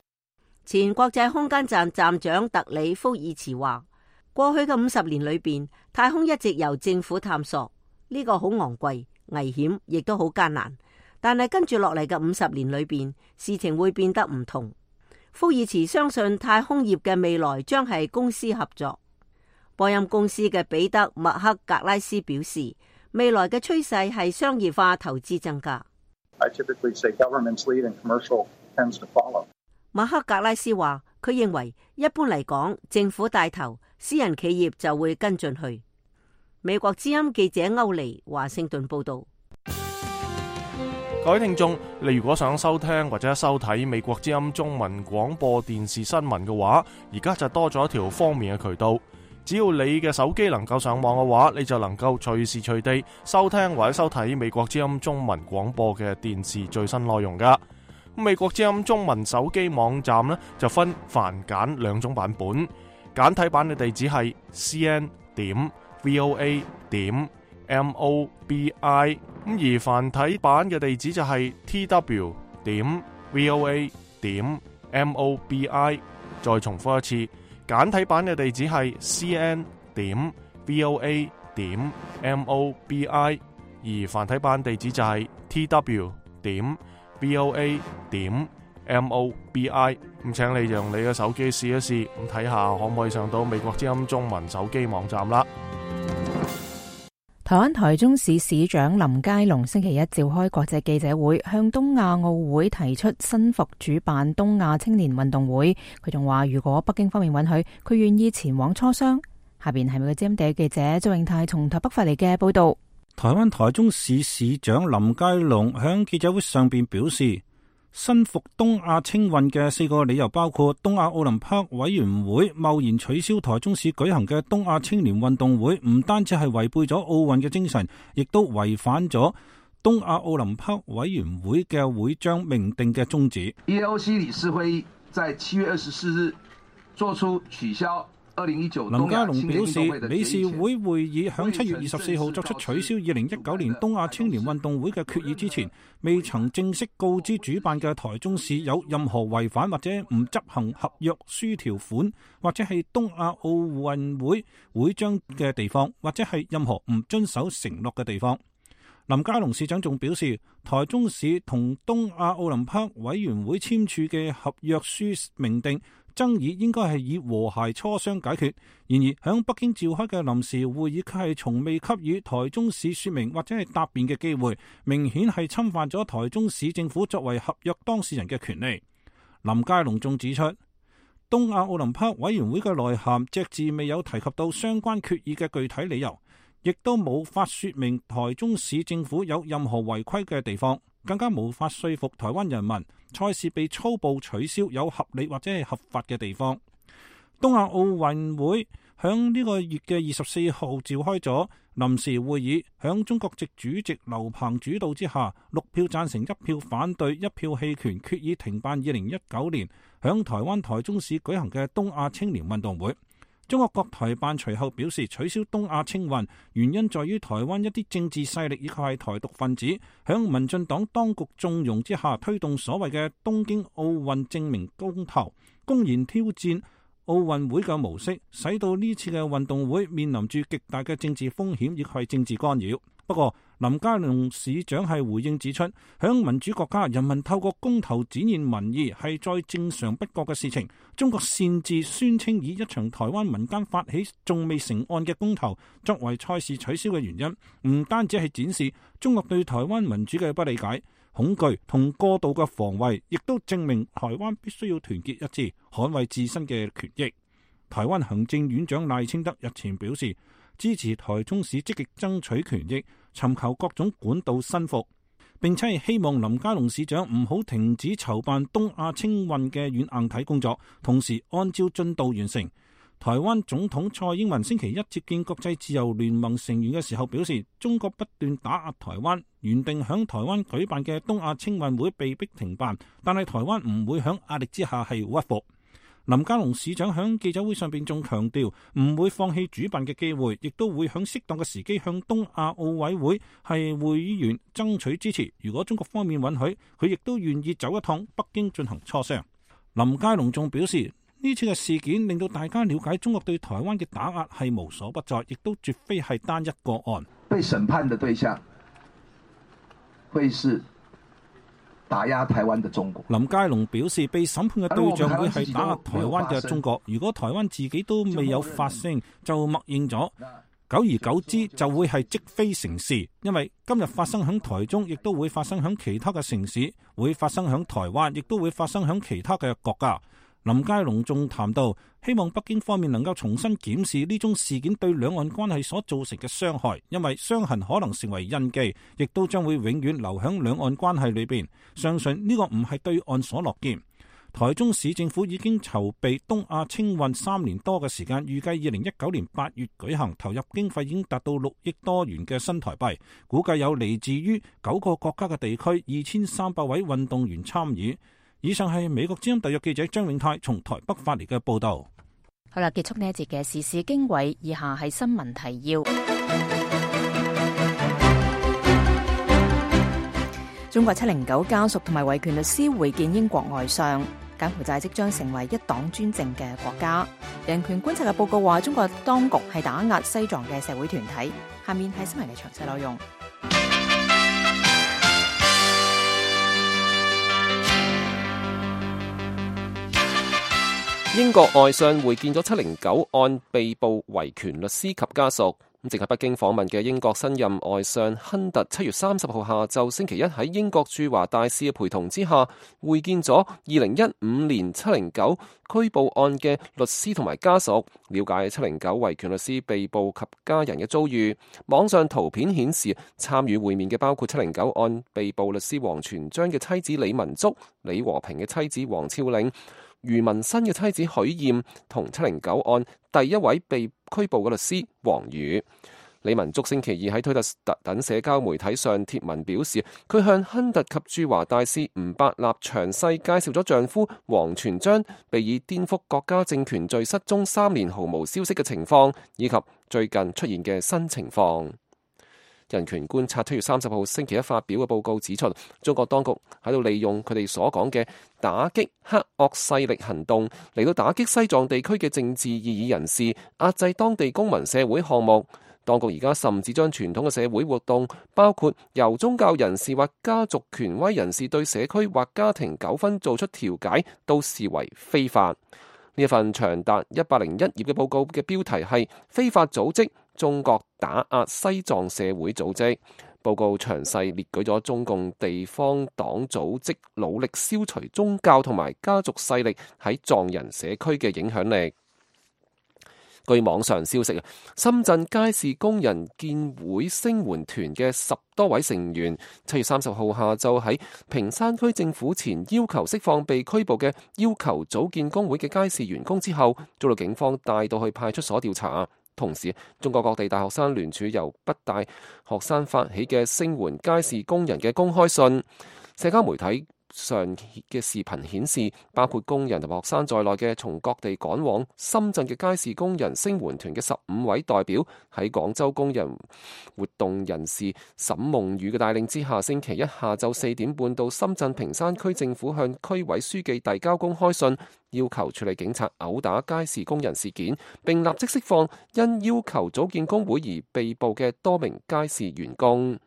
[SPEAKER 10] 前國際空間站站長特里福爾茨話，過去嘅五十年裏邊，太空一直由政府探索，呢個好昂貴、危險，亦都好艱難。但係跟住落嚟嘅五十年裏邊，事情會變得唔同。福爾茨相信太空業嘅未來將係公司合作。波音公司嘅彼得麥克格拉斯表示，未來嘅趨勢係商業化投資增加。
[SPEAKER 15] I typically say governments lead and commercial tends to follow.
[SPEAKER 10] 馬克格拉斯話，佢認為一般嚟講，政府帶頭，私人企業就會跟進去。美國之音記者歐尼華盛頓報道。
[SPEAKER 1] 各位聽眾，你如果想收聽或者收睇美國之音中文廣播電視新聞嘅話，而家就多咗一條方便嘅渠道。只要你嘅手機能夠上網嘅話，你就能夠隨時隨地收聽或者收睇美國之音中文廣播嘅電視最新內容噶。美國之音中文手機網站呢就分繁簡兩種版本，簡體版嘅地址係 c n 點 v o a 點 m o b i， 咁而繁體版嘅地址就係 t w 點 v o a 點 m o b i。再重複一次，簡體版嘅地址係 c n 點 v o a 點 m o b i， 而繁體版地址就係 t w 點 v o a 點 m o b i。 咁請你用你嘅手機試一試，咁睇下可唔可以上到美國之音中文手機網站啦。
[SPEAKER 2] 台灣台中市市長林佳龍星期一召開國際記者會，向東亞奧會提出申復主辦東亞青年運動會。佢仲話，如果北京方面允許，佢願意前往磋商。下邊係美國之音地記者周永泰從台北發嚟嘅報道。
[SPEAKER 9] 台灣台中市市長林佳龍喺記者會上邊表示，申復東亞青運嘅四個理由包括東亞奧林匹克委員會貿然取消台中市舉行嘅東亞青年運動會，唔單止係違背咗奧運嘅精神，亦都違反咗東亞奧林匹克委員會嘅會章明定嘅宗旨。
[SPEAKER 16] E A O C 理事會議在七月二十四日作出取消
[SPEAKER 9] 林佳龍表示，理事會會議響七月二十四號作出取消二零一九年東亞青年運動會嘅決議之前，未曾正式告知主辦嘅台中市有任何違反或者唔執行合約書條款，或者係東亞奧運會會章嘅地方，或者係任何唔遵守承諾嘅地方。林佳龍市長仲表示，台中市同東亞奧林匹克委員會簽署嘅合約書明定，爭議應該係以和諧磋商解決。然而，響北京召開嘅臨時會議卻係從未給予台中市說明或者係答辯嘅機會，明顯係侵犯咗台中市政府作為合約當事人嘅權利。林佳龍仲指出，東亞奧林匹克委員會嘅內涵隻字未有提及到相關決議嘅具體理由，亦都冇法說明台中市政府有任何違規嘅地方，更加無法說服台灣人民賽事被粗暴取消有合理或者係合法嘅地方。東亞奧運會響呢個月嘅二十四號召開咗臨時會議，響中國籍主席劉鵬主導之下，六票贊成，一票反對，一票棄權，決議停辦二零一九年響台灣台中市舉行嘅東亞青年運動會。中國國台辦隨後表示，取消東亞青運原因在於台灣一啲政治勢力以及係台獨分子響民進黨當局縱容之下，推動所謂嘅東京奧運證明公投，公然挑戰奧運會嘅模式，使到呢次嘅運動會面臨住極大嘅政治風險以及係政治干擾。不過林佳龍市長係回應指出，響民主國家，人民透過公投展現民意係再正常不過嘅事情。中國擅自宣稱以一場台灣民間發起仲未成案嘅公投作為賽事取消嘅原因，唔單止係展示中國對台灣民主嘅不理解、恐懼同過度嘅防衛，亦都證明台灣必須要團結一致，捍衛自身嘅權益。台灣行政院長賴清德日前表示，支持台中市積極爭取權益，尋求各種管道申復，並且係希望林佳龍市長唔好停止籌辦東亞青運嘅軟硬體工作，同時按照進度完成。台灣總統蔡英文星期一接見國際自由聯盟成員嘅時候表示，中國不斷打壓台灣，原定響台灣舉辦嘅東亞青運會被迫停辦，但係台灣唔會響壓力之下係屈服。林佳龍市長響記者會上邊仲強調，唔會放棄主辦嘅機會，亦都會響適當嘅時機向東亞奧委會係會員爭取支持。如果中國方面允許，佢亦都願意走一趟北京進行磋商。林佳龍仲表示，呢次嘅事件令到大家了解中國對台灣嘅打壓係無所不在，亦都絕非係單一個案。
[SPEAKER 16] 被審判的對象會是打壓台灣的中國。
[SPEAKER 9] 林佳龍表示，被審判嘅對象會係打壓台灣嘅中國。如果台灣自己都未有發聲，就默認咗，久而久之就會係積非成是。因為今日發生響台中，亦都會發生響其他嘅城市，會發生響台灣，亦都會發生響其他嘅國家。林佳龍仲談到，希望北京方面能夠重新檢視呢宗事件對兩岸關係所造成嘅傷害，因為傷痕可能成為印記，亦都將會永遠留響兩岸關係裏邊。相信呢個唔係對岸所樂見。台中市政府已經籌備東亞青運三年多嘅時間，預計二零一九年八月舉行，投入經費已經達到六億多元嘅新台幣，估計有嚟自於九個國家嘅地區二千三百位運動員參與。以上係美國之音特約記者張永泰從台北發嚟嘅報道。
[SPEAKER 2] 好啦，結束呢一節嘅時事經緯，以下係新聞提要。中國七零九家屬同埋維權律師會見英國外相。柬埔寨即將成為一黨專政嘅國家。人權觀察嘅報告話，中國當局係打壓西藏嘅社會團體。下面係新聞嘅詳細內容。
[SPEAKER 4] 英國外相會見咗七零九案被捕維權律師及家屬。正喺北京訪問嘅英國新任外相亨特，七月三十號下晝星期一喺英國駐華大使嘅陪同之下，會見咗二零一五年七零九拘捕案嘅律師同埋家屬，了解七零九維權律師被捕及家人嘅遭遇。網上圖片顯示，參與會面嘅包括七零九案被捕律師王全璋嘅妻子李文足、李和平嘅妻子黃超玲、余文新嘅妻子許艷同七零九案第一位被拘捕嘅律師黃宇。李文足星期二喺推特等社交媒體上貼文表示，佢向亨特及駐華大使吳伯納詳細介紹咗丈夫王全璋被以顛覆國家政權罪失蹤三年毫無消息嘅情況，以及最近出現嘅新情況。人權觀察七月三十號星期一發表嘅報告指出，中國當局喺度利用佢哋所講嘅打擊黑惡勢力行動嚟到打擊西藏地區嘅政治異議人士，壓制當地公民社會項目。當局而家甚至將傳統嘅社會活動，包括由宗教人士或家族權威人士對社區或家庭糾紛做出調解，都視為非法。呢一份長達一百零一頁嘅報告嘅標題係非法組織中國打壓西藏社會組織。報告詳細列舉咗中共地方黨組織努力消除宗教同埋家族勢力喺藏人社區嘅影響力。據網上消息啊，深圳街市工人建會聲援團嘅十多位成員，七月三十號下晝喺坪山區政府前要求釋放被拘捕嘅要求組建工會嘅街市員工之後，遭到警方帶到去派出所調查。同時，中國各地大學生聯署由北大學生發起嘅聲援街市工人嘅公開信，社交媒體上嘅視頻顯示，包括工人同學生在內嘅從各地趕往深圳嘅街市工人聲援團嘅十五位代表，喺廣州工人活動人士沈夢雨嘅帶領之下，星期一下晝四點半到深圳坪山區政府向區委書記遞交公開信，要求處理警察毆打街市工人事件，並立即釋放因要求組建工會而被捕嘅多名街市員工。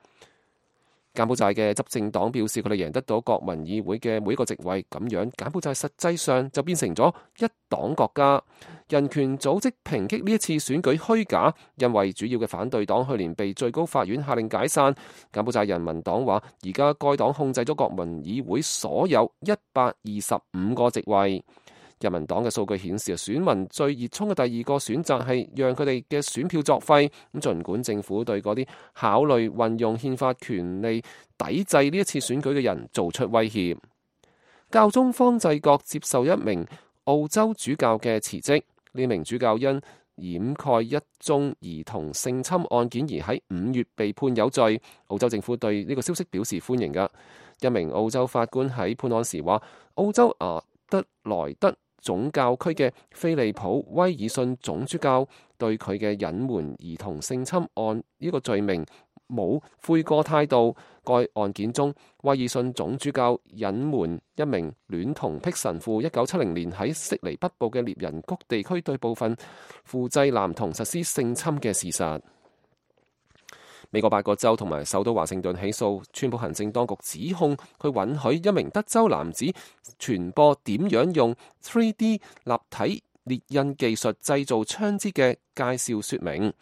[SPEAKER 4] 柬埔寨嘅執政黨表示，佢哋贏得到國民議會嘅每一個席位，咁樣柬埔寨實際上就變成咗一黨國家。人權組織抨擊呢一次選舉虛假，因為主要嘅反對黨去年被最高法院下令解散。柬埔寨人民黨話，而家該黨控制咗國民議會所有一百二十五個席位。人民黨嘅數據顯示，選民最熱衷嘅第二個選擇係讓佢哋嘅選票作廢。咁儘管政府對嗰啲考慮運用憲法權利抵制呢一次選舉嘅人做出威脅。教宗方濟各接受一名澳洲主教嘅辭職，呢名主教因掩蓋一宗兒童性侵案件而喺五月被判有罪。澳洲政府對呢個消息表示歡迎㗎。一名澳洲法官喺判案時話，澳洲阿德萊德總教區嘅菲利普威爾遜總主教對佢嘅隱瞞兒童性侵案呢個罪名冇悔過態度。該案件中，威爾遜總主教隱瞞一名戀童癖神父一九七零年喺悉尼北部嘅獵人谷地區對部分富濟男童實施性侵嘅事實。美國八個州同埋首都華盛頓起訴川普行政當局，指控佢允許一名德州男子傳播點樣用 三 D 立體列印技術製造槍支嘅介紹說明。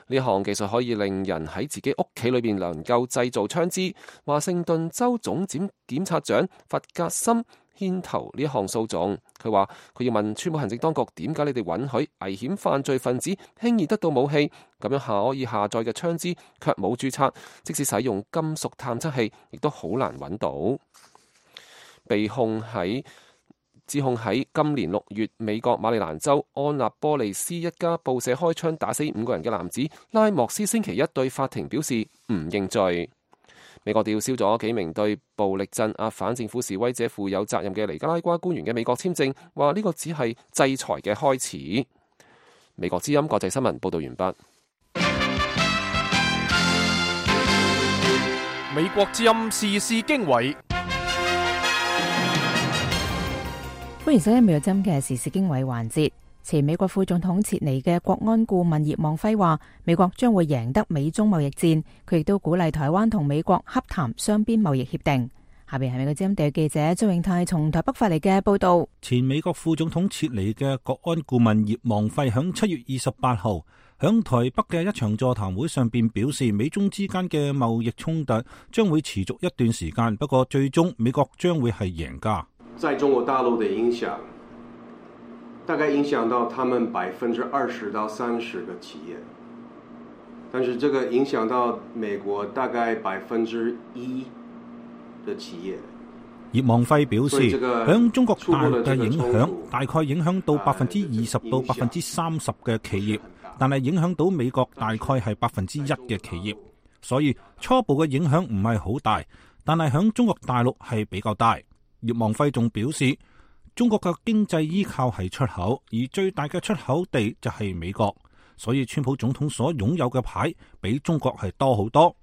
[SPEAKER 4] 呢項技術可以令人喺自己屋企裏邊能夠製造槍支。華盛頓州總檢檢察長弗格森牽頭呢項訴訟，佢話佢要問川普行政當局，點解你哋允許危險犯罪分子輕易得到武器，咁樣下可以下載嘅槍支卻冇註冊，即使使用金屬探測器亦都好難揾到。被控喺指控喺今年六月美國馬里蘭州安納波利斯一家報社開槍打死五個人嘅男子拉莫斯星期一對法庭表示唔認罪。美國吊銷咗幾名對暴力鎮壓反政府示威者負有責任嘅尼加拉瓜官員嘅美國簽證，話呢個只係制裁嘅開始。美國之音國際新聞報道完畢。
[SPEAKER 1] 美國之音時事經緯。
[SPEAKER 2] 歡迎收聽美國之音嘅時事經緯環節。前美國副總統切尼嘅國安顧問葉望輝話，美國將會贏得美中貿易戰。佢亦都鼓勵台灣同美國洽談雙邊貿易協定。下邊係美國之音地記者張永泰從台北發嚟嘅報道。
[SPEAKER 9] 前美國副總統切尼嘅國安顧問葉望輝響七月二十八號響台北嘅一場座談會上邊表示，美中之間嘅貿易衝突將會持續一段時間，不過最終美國將會係贏家。
[SPEAKER 3] 在中國大陸的影響，大概影響到他們百分之二十到三十嘅企業，但是這個影響到美國大概百分之一嘅企業。
[SPEAKER 9] 葉望輝表示，響中國大陸嘅影響大概影響到百分之二十到百分之三十嘅企業，但係影響到美國大概係百分之一嘅企業，所以初步嘅影響唔係好大，但係響中國大陸係比較大。葉望輝仲表示，中國嘅經濟依靠係出口，而最大嘅出口地就係美國，所以川普總統所擁有嘅牌比中國係多好多。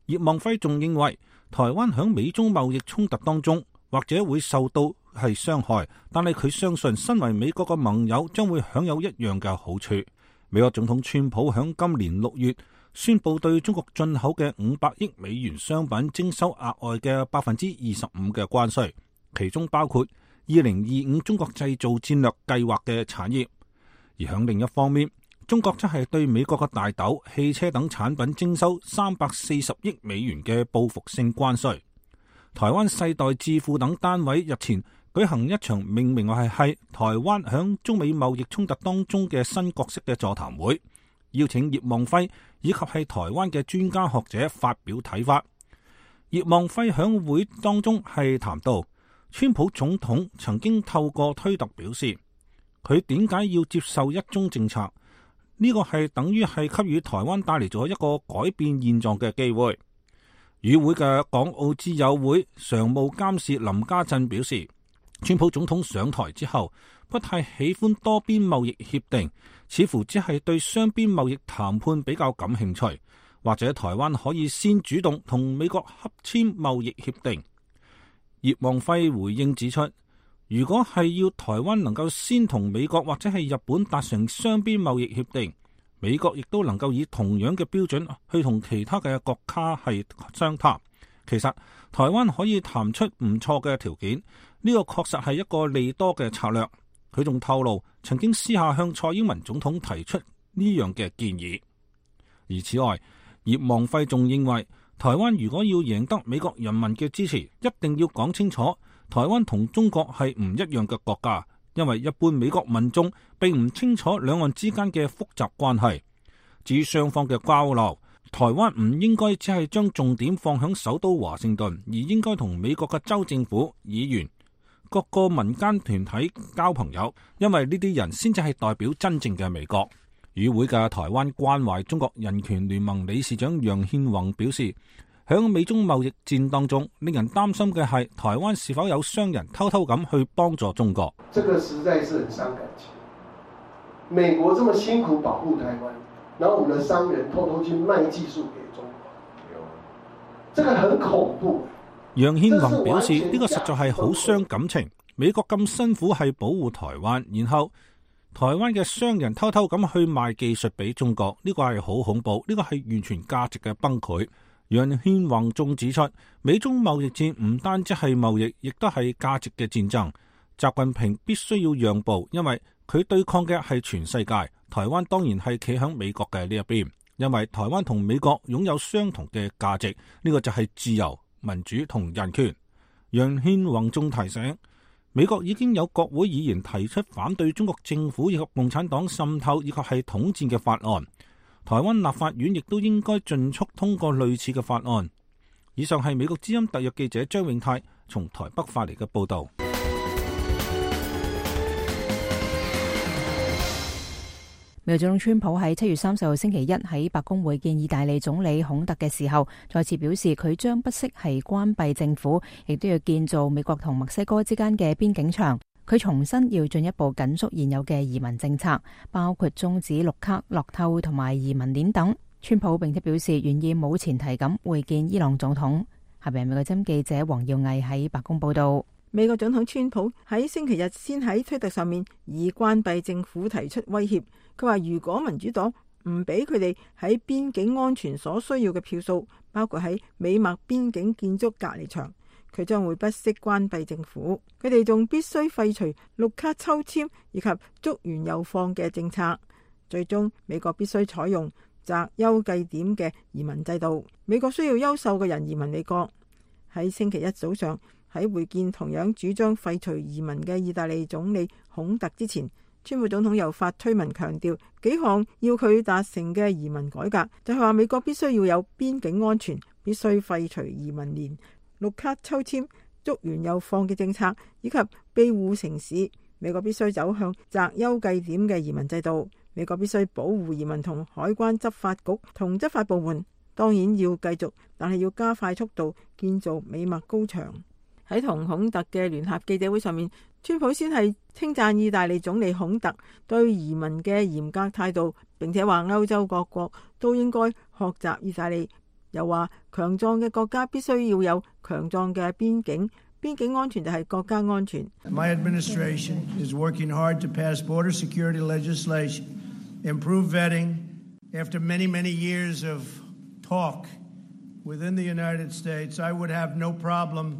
[SPEAKER 9] 葉望輝仲認為，台灣響美中貿易衝突當中或者會受到係傷害，但係佢相信身為美國嘅盟友將會享有一樣嘅好處。美國總統川普響今年六月宣布對中國進口嘅五百億美元商品徵收額外嘅百分之二十五嘅關稅，其中包括二零二五中國製造戰略計劃嘅產業。而響另一方面，中國則係對美國嘅大豆、汽車等產品徵收三百四十億美元嘅報復性關稅。台灣世代智庫等單位日前舉行一場命名為係台灣響中美貿易衝突當中嘅新角色嘅座談會，邀請葉望輝以及係台灣嘅專家學者發表睇法。葉望輝響會當中係談到，川普總統曾經透過推特表示，佢點解要接受一中政策？呢個係等於係給予台灣帶嚟咗一個改變現狀嘅機會。與會嘅港澳之友會常務監事林家鎮表示，川普總統上台之後不太喜歡多邊貿易協定，似乎只係對雙邊貿易談判比較感興趣，或者台灣可以先主動同美國洽簽貿易協定。葉望輝回應指出，如果係要台灣能夠先同美國或者係日本達成雙邊貿易協定，美國亦都能夠以同樣嘅標準去同其他嘅國家係商談。其實台灣可以談出唔錯嘅條件，呢個確實係一個利多嘅策略。佢仲透露，曾經私下向蔡英文總統提出呢樣嘅建議。而此外，葉望輝仲認為，台灣如果要贏得美國人民嘅支持，一定要講清楚，台灣同中國係唔一樣嘅國家，因為一般美國民眾並唔清楚兩岸之間嘅複雜關係。至於雙方嘅交流，台灣唔應該只係將重點放響首都華盛頓，而應該同美國嘅州政府、議員、各個民間團體交朋友，因為呢啲人先至係代表真正嘅美國。與會嘅台灣關懷中國人權聯盟理事長楊憲宏表示，響美中貿易戰當中，令人擔心嘅係台灣是否有商人偷偷咁去幫助中國。
[SPEAKER 17] 這個實在是很傷感情。美國這麼辛苦保護台灣，然後我們的商人偷偷去賣技術給中國，這個很恐怖。
[SPEAKER 9] 楊憲宏表示，呢個實在係好傷感情。美國咁辛苦係保護台灣，然後台灣嘅商人偷偷咁去賣技術俾中國，呢個係好恐怖，呢個係完全價值嘅崩潰。楊憲宏仲指出，美中貿易戰唔單止係貿易，亦都係價值嘅戰爭。習近平必須要讓步，因為佢對抗嘅係全世界。台灣當然係企喺美國嘅呢一邊，因為台灣同美國擁有相同嘅價值，呢個就係自由、民主同人權。楊憲宏仲提醒，美國已經有國會議員提出反對中國政府以及共產黨滲透以及係統戰嘅法案，台灣立法院亦都應該盡速通過類似嘅法案。以上係美國之音特約記者張永泰從台北發嚟嘅報道。
[SPEAKER 2] 美國總統川普喺七月三十號星期一喺白宮會見意大利總理孔特嘅時候，再次表示佢將不惜係關閉政府，亦都要建造美國同墨西哥之間嘅邊境牆。佢重申要進一步緊縮現有嘅移民政策，包括終止綠卡、樂透同埋移民鏈等。川普並且表示願意冇前提咁會見伊朗總統。下邊美國之音記者黃耀毅喺白宮報道。
[SPEAKER 18] 美國總統川普喺星期日先喺推特上面以關閉政府提出威脅，佢話如果民主黨唔俾佢哋喺邊境安全所需要嘅票數，包括喺美墨邊境建築隔離牆，佢將會不惜關閉政府。佢哋仲必須廢除綠卡抽籤以及捉完又放嘅政策。最終美國必須採用擇優計點嘅移民制度。美國需要優秀嘅人移民美國。喺星期一早上，喺會見同樣主張廢除移民嘅意大利總理孔特之前，川普總統又發推文強調幾項要佢達成嘅移民改革，就係話美國必須要有邊境安全，必須廢除移民連、綠卡抽籤、捉完又放嘅政策，以及庇護城市。美國必須走向擇優計點嘅移民制度。美國必須保護移民同海關執法局同執法部門，當然要繼續，但係要加快速度建造美墨高牆。喺同孔特嘅聯合記者會上面，川普先係稱讚意大利總理孔特對移民嘅嚴格態度，並且話歐洲各國都應該學習意大利。又話強壯嘅國家必須要有強壯嘅邊境，邊境安全就係國家安全。
[SPEAKER 19] My administration is working hard to pass border security legislation, improve vetting. After many, many years of talk within the United States, I would have no problem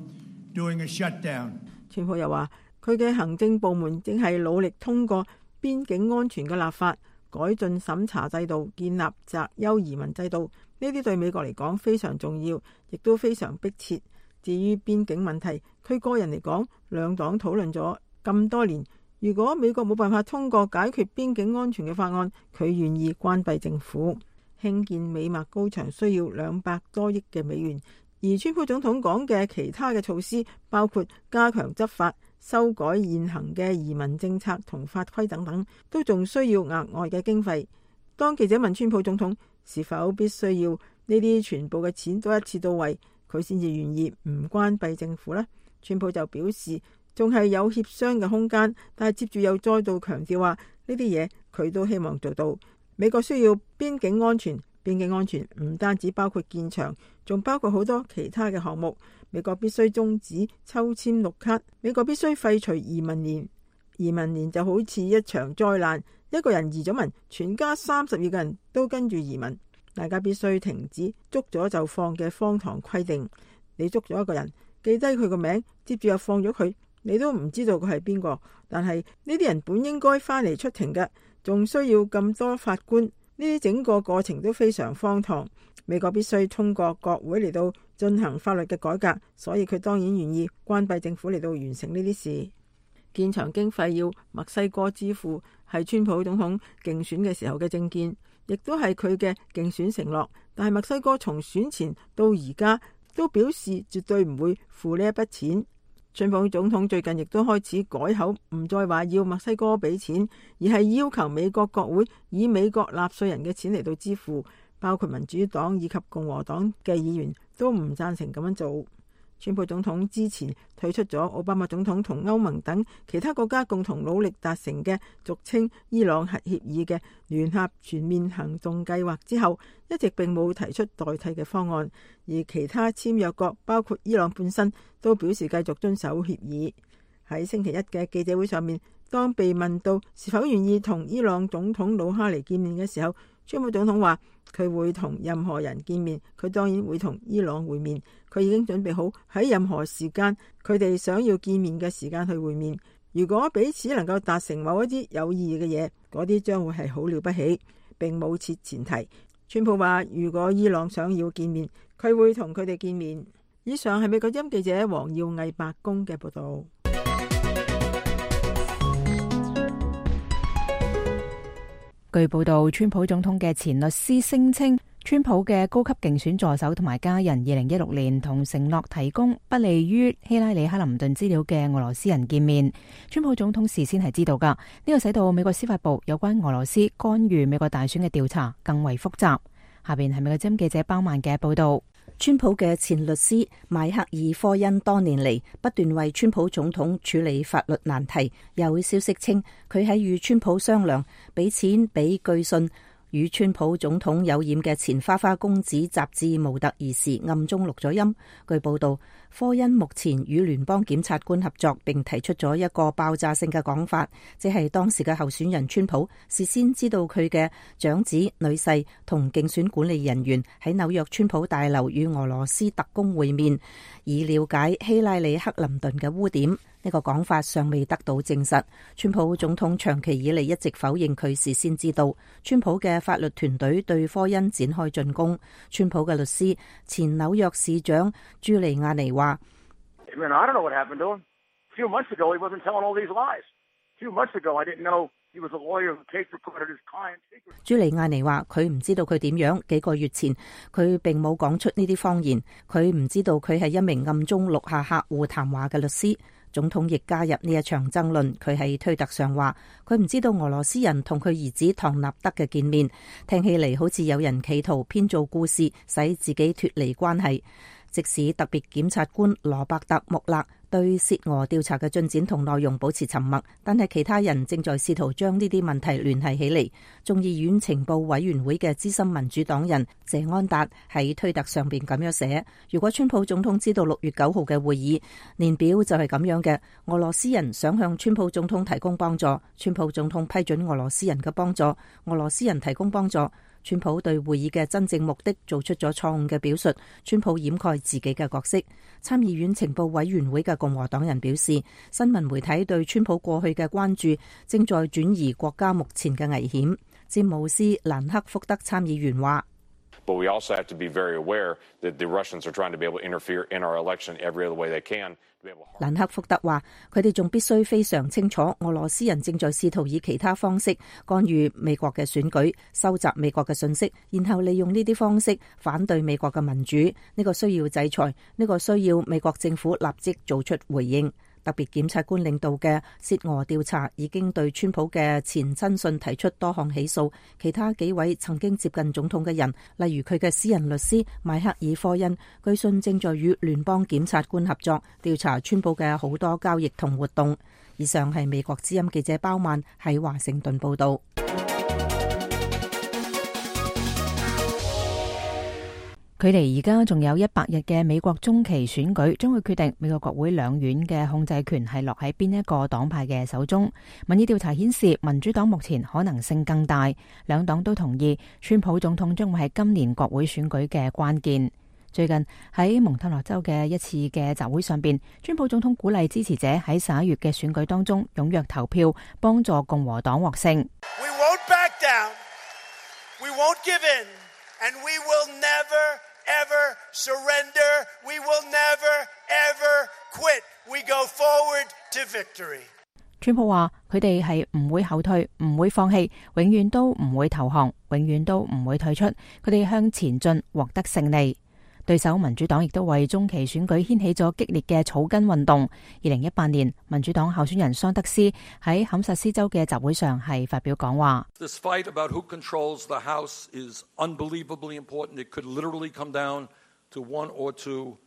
[SPEAKER 19] doing a shutdown.
[SPEAKER 18] 川普又話佢嘅行政部門正係努力通過邊境安全嘅立法，改進審查制度，建立擇優移民制度。呢啲對美國嚟講非常重要，亦都非常迫切。至於邊境問題，佢個人嚟講，兩黨討論咗咁多年，如果美國冇辦法通過解決邊境安全嘅法案，佢願意關閉政府。興建美墨高牆需要兩百多億嘅美元。而川普總統講嘅其他嘅措施，包括加強執法、修改現行嘅移民政策同法規等等，都仲需要額外嘅經費。當記者問川普總統是否必須要呢啲全部嘅錢都一次到位，佢先至願意唔關閉政府呢？川普就表示仲係有協商嘅空間，但係接住又再度強調話呢啲嘢佢都希望做到。美國需要邊境安全。邊境安全唔單止包括建牆，仲包括好多其他嘅項目。美國必須終止抽籤綠卡，美國必須廢除移民連。移民連就好似一場災難，一個人移咗民，全家三十二個人都跟住移民。大家必須停止捉咗就放嘅荒唐規定。你捉咗一個人，記低佢個名，接住又放咗佢，你都唔知道佢係邊個。但係呢啲人本應該翻嚟出庭嘅，仲需要咁多法官。呢啲整個過程都非常荒唐。美國必須通過國會嚟到進行法律嘅改革，所以佢當然願意關閉政府嚟到完成呢啲事。建牆經費要墨西哥支付，係川普總統競選嘅時候嘅政見，亦都係佢嘅競選承諾。但係墨西哥從選前到而家都表示絕對唔會付呢一筆錢。川普總統最近亦都開始改口，唔再話要墨西哥俾錢，而係要求美國國會以美國納稅人嘅錢嚟到支付，包括民主黨以及共和黨嘅議員都唔贊成咁樣做。川普總統之前退出咗奧巴馬總統同歐盟等其他國家共同努力達成嘅俗稱伊朗核協議嘅聯合全面行動計劃之後，一直並冇提出代替嘅方案，而其他簽約國包括伊朗本身都表示繼續遵守協議。喺星期一嘅記者會上面，當被問到是否願意同伊朗總統魯哈尼見面嘅時候，川普總統話佢會同任何人見面，佢當然會同伊朗會面，佢已經準備好喺任何時間佢哋想要見面嘅時間去會面。如果彼此能夠達成某一啲有意義嘅嘢，嗰啲將會係好了不起，並冇設前提。川普話如果伊朗想要見面，佢會同佢哋見面。以上係美國之音記者黃耀毅白宮嘅報道。
[SPEAKER 2] 據報道，川普總統嘅前律師聲稱，川普嘅高級競選助手同埋家人二零一六年同承諾提供不利於希拉里克林頓資料嘅俄羅斯人見面。川普總統事先係知道噶，呢、這個使到美國司法部有關俄羅斯干預美國大選嘅調查更為複雜。下邊係美國之音記者包曼嘅報道。
[SPEAKER 8] 川普嘅前律師邁克爾科恩多年嚟不斷為川普總統處理法律難題。有消息稱佢喺與川普商量俾錢俾據信與川普總統有染嘅前花花公子雜誌模特兒時，暗中錄咗音。據報道，科恩目前與聯邦檢察官合作，並提出咗一個爆炸性嘅講法，即係當時嘅候選人川普事先知道佢嘅長子女婿同競選管理人員喺紐約川普大樓與俄羅斯特工會面，以了解希拉里克林頓嘅污點。呢個講法尚未得到證實。川普總統長期以嚟一直否認佢事先知道。川普嘅法律團隊對科恩展開進攻。川普嘅律師前紐約市長朱利亞尼話：朱利亞尼話佢唔知道佢點樣，幾個月前佢並冇講出呢啲謊言，佢唔知道佢係一名暗中錄下客戶談話嘅律師。總統亦加入呢一場爭論，佢喺推特上話佢唔知道俄羅斯人同佢兒子唐納德嘅見面，聽起嚟好似有人企圖編造故事使自己脫離關係。即使特別檢察官羅伯特穆勒對涉俄調查嘅進展同內容保持沉默，但係其他人正在試圖將呢啲問題聯繫起嚟。眾議院情報委員會嘅資深民主黨人謝安達喺推特上邊咁樣寫：如果川普總統知道六月九號嘅會議年表就係咁樣嘅，俄羅斯人想向川普總統提供幫助，川普總統批准俄羅斯人嘅幫助，俄羅斯人提供幫助。川普對會議嘅真正目的做出咗錯誤嘅表述，川普掩蓋自己嘅角色。參議院情報委員會嘅共和黨人表示，新聞媒體對川普過去嘅關注正在轉移國家目前嘅危險。詹姆斯·蘭克福德參議員話
[SPEAKER 20] ：But we also have to be very aware that the Russians are trying to be able to interfere in our election every other way they can.
[SPEAKER 8] 蘭克福德話：佢哋仲必須非常清楚，俄羅斯人正在試圖以其他方式干預美國嘅選舉，收集美國嘅信息，然後利用呢啲方式反對美國嘅民主。呢個需要制裁，呢個需要美國政府立即做出回應。特別檢察官領導嘅涉俄調查已經對川普嘅前親信提出多項起訴，其他幾位曾經接近總統嘅人，例如佢嘅私人律師邁克爾科恩，據信正在與聯邦檢察官合作調查川普嘅好多交易同活動。以上係美國之音記者包曼喺華盛頓報道。
[SPEAKER 2] 距離而家仲有一百日嘅美國中期選舉，將會決定美國國會兩院嘅控制權係落喺邊一個黨派嘅手中。民意調查顯示，民主黨目前可能性更大，兩黨都同意川普總統將會係今年國會選舉嘅關鍵。最近喺蒙特勒州嘅一次嘅集會上邊，川普總統鼓勵支持者喺十一月嘅選舉當中踴躍投票，幫助共和黨獲勝。
[SPEAKER 21] We won't back down. We won't give in. And we will never ever surrender. We will never ever quit. We go forward to victory.
[SPEAKER 2] 川普話佢哋係唔會後退，唔會放棄，永遠都唔會投降，永遠都唔會退出。佢哋向前進，獲得勝利。對手民主黨亦都為中期選舉掀起咗激烈嘅草根運動。二零一八年，民主黨候選人桑德斯喺堪薩斯州嘅集會上係發表講話。
[SPEAKER 6] This fight about who controls the House is unbelievably important. It could literally come down to one or two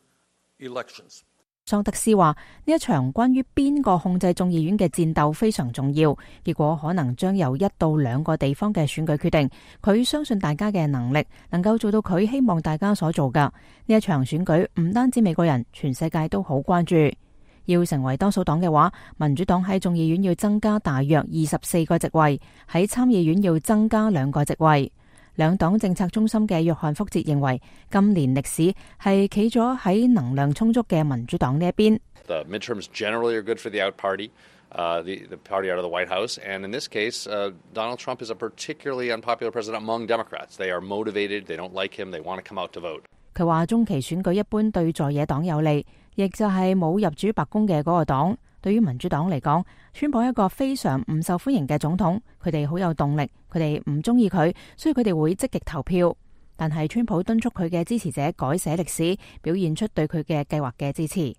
[SPEAKER 6] elections.
[SPEAKER 2] 桑德斯話呢一場關於邊個控制眾議院嘅戰鬥非常重要，結果可能將由一到兩個地方嘅選舉決定。佢相信大家嘅能力能夠做到佢希望大家所做㗎。呢一場選舉唔單止美國人，全世界都好關注。要成為多數黨嘅話，民主黨喺眾議院要增加大約二十四個席位，喺參議院要增加兩個席位。兩黨政策中心嘅約翰福捷認為，今年歷史係企咗喺能量充足嘅民主黨呢一邊。
[SPEAKER 7] The midterms generally are good for the out party, uh, the, the party out of the White House. And in this case, uh, Donald Trump is a particularly unpopular president among Democrats. They are motivated, they don't like him, they want to come out to vote.
[SPEAKER 2] 佢話中期選舉一般對在野黨有利，亦就係冇入主白宮嘅嗰個黨。對於民主黨嚟講，川普一個非常唔受歡迎嘅總統，佢哋好有動力，佢哋唔中意佢，所以佢哋會積極投票。但係川普敦促佢嘅支持者改寫歷史，表現出對佢嘅計劃嘅支持。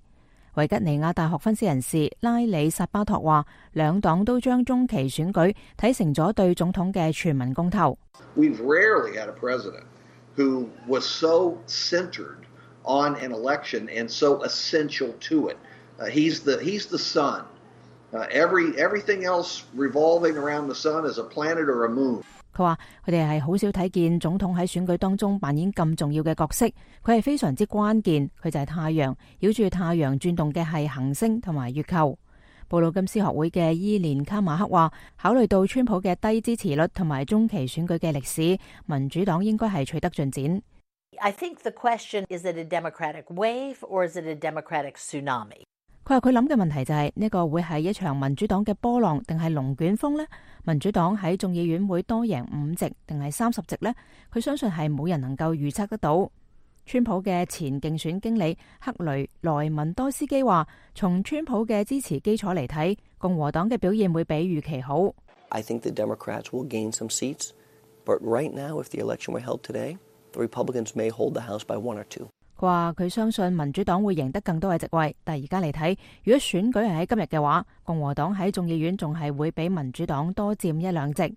[SPEAKER 2] 維吉尼亞大學分析人士拉里薩巴托話，兩黨都將中期選舉睇成咗對總統嘅全民公投。
[SPEAKER 11] We've rarely had a president who was so centered on an election and so essential to it. Uh, he's the he's the sun. Uh, every everything else revolving around the sun is a planet or a moon.
[SPEAKER 2] 佢話佢哋係好少睇見總統喺選舉當中扮演咁重要嘅角色，佢係非常之關鍵，佢就係太陽，繞住太陽轉動嘅係行星同埋月球。布魯金斯學會嘅伊蓮卡馬克話，考慮到川普嘅低支持率同埋中期選舉嘅歷史，民主黨應該係取得進展。
[SPEAKER 22] I think the question is it a Democratic wave or is it a Democratic tsunami?
[SPEAKER 2] 佢話佢諗嘅問題就係呢個會係一場民主黨嘅波浪定係龍捲風呢？民主黨喺眾議院會多贏五席定係三十席呢？佢相信係冇人能夠預測得到。川普嘅前競選經理克雷萊文多斯基話，從川普嘅支持基礎嚟睇，共和黨嘅表現會比預期好。
[SPEAKER 23] I think the Democrats will gain some seats, but right now, if the election were held today, the Republicans may hold the House by one or two.
[SPEAKER 2] 佢話佢相信民主黨會贏得更多嘅席位，但係而家嚟睇，如果選舉係喺今日嘅話，共和黨喺眾議院仲係會比民主黨多佔一兩席。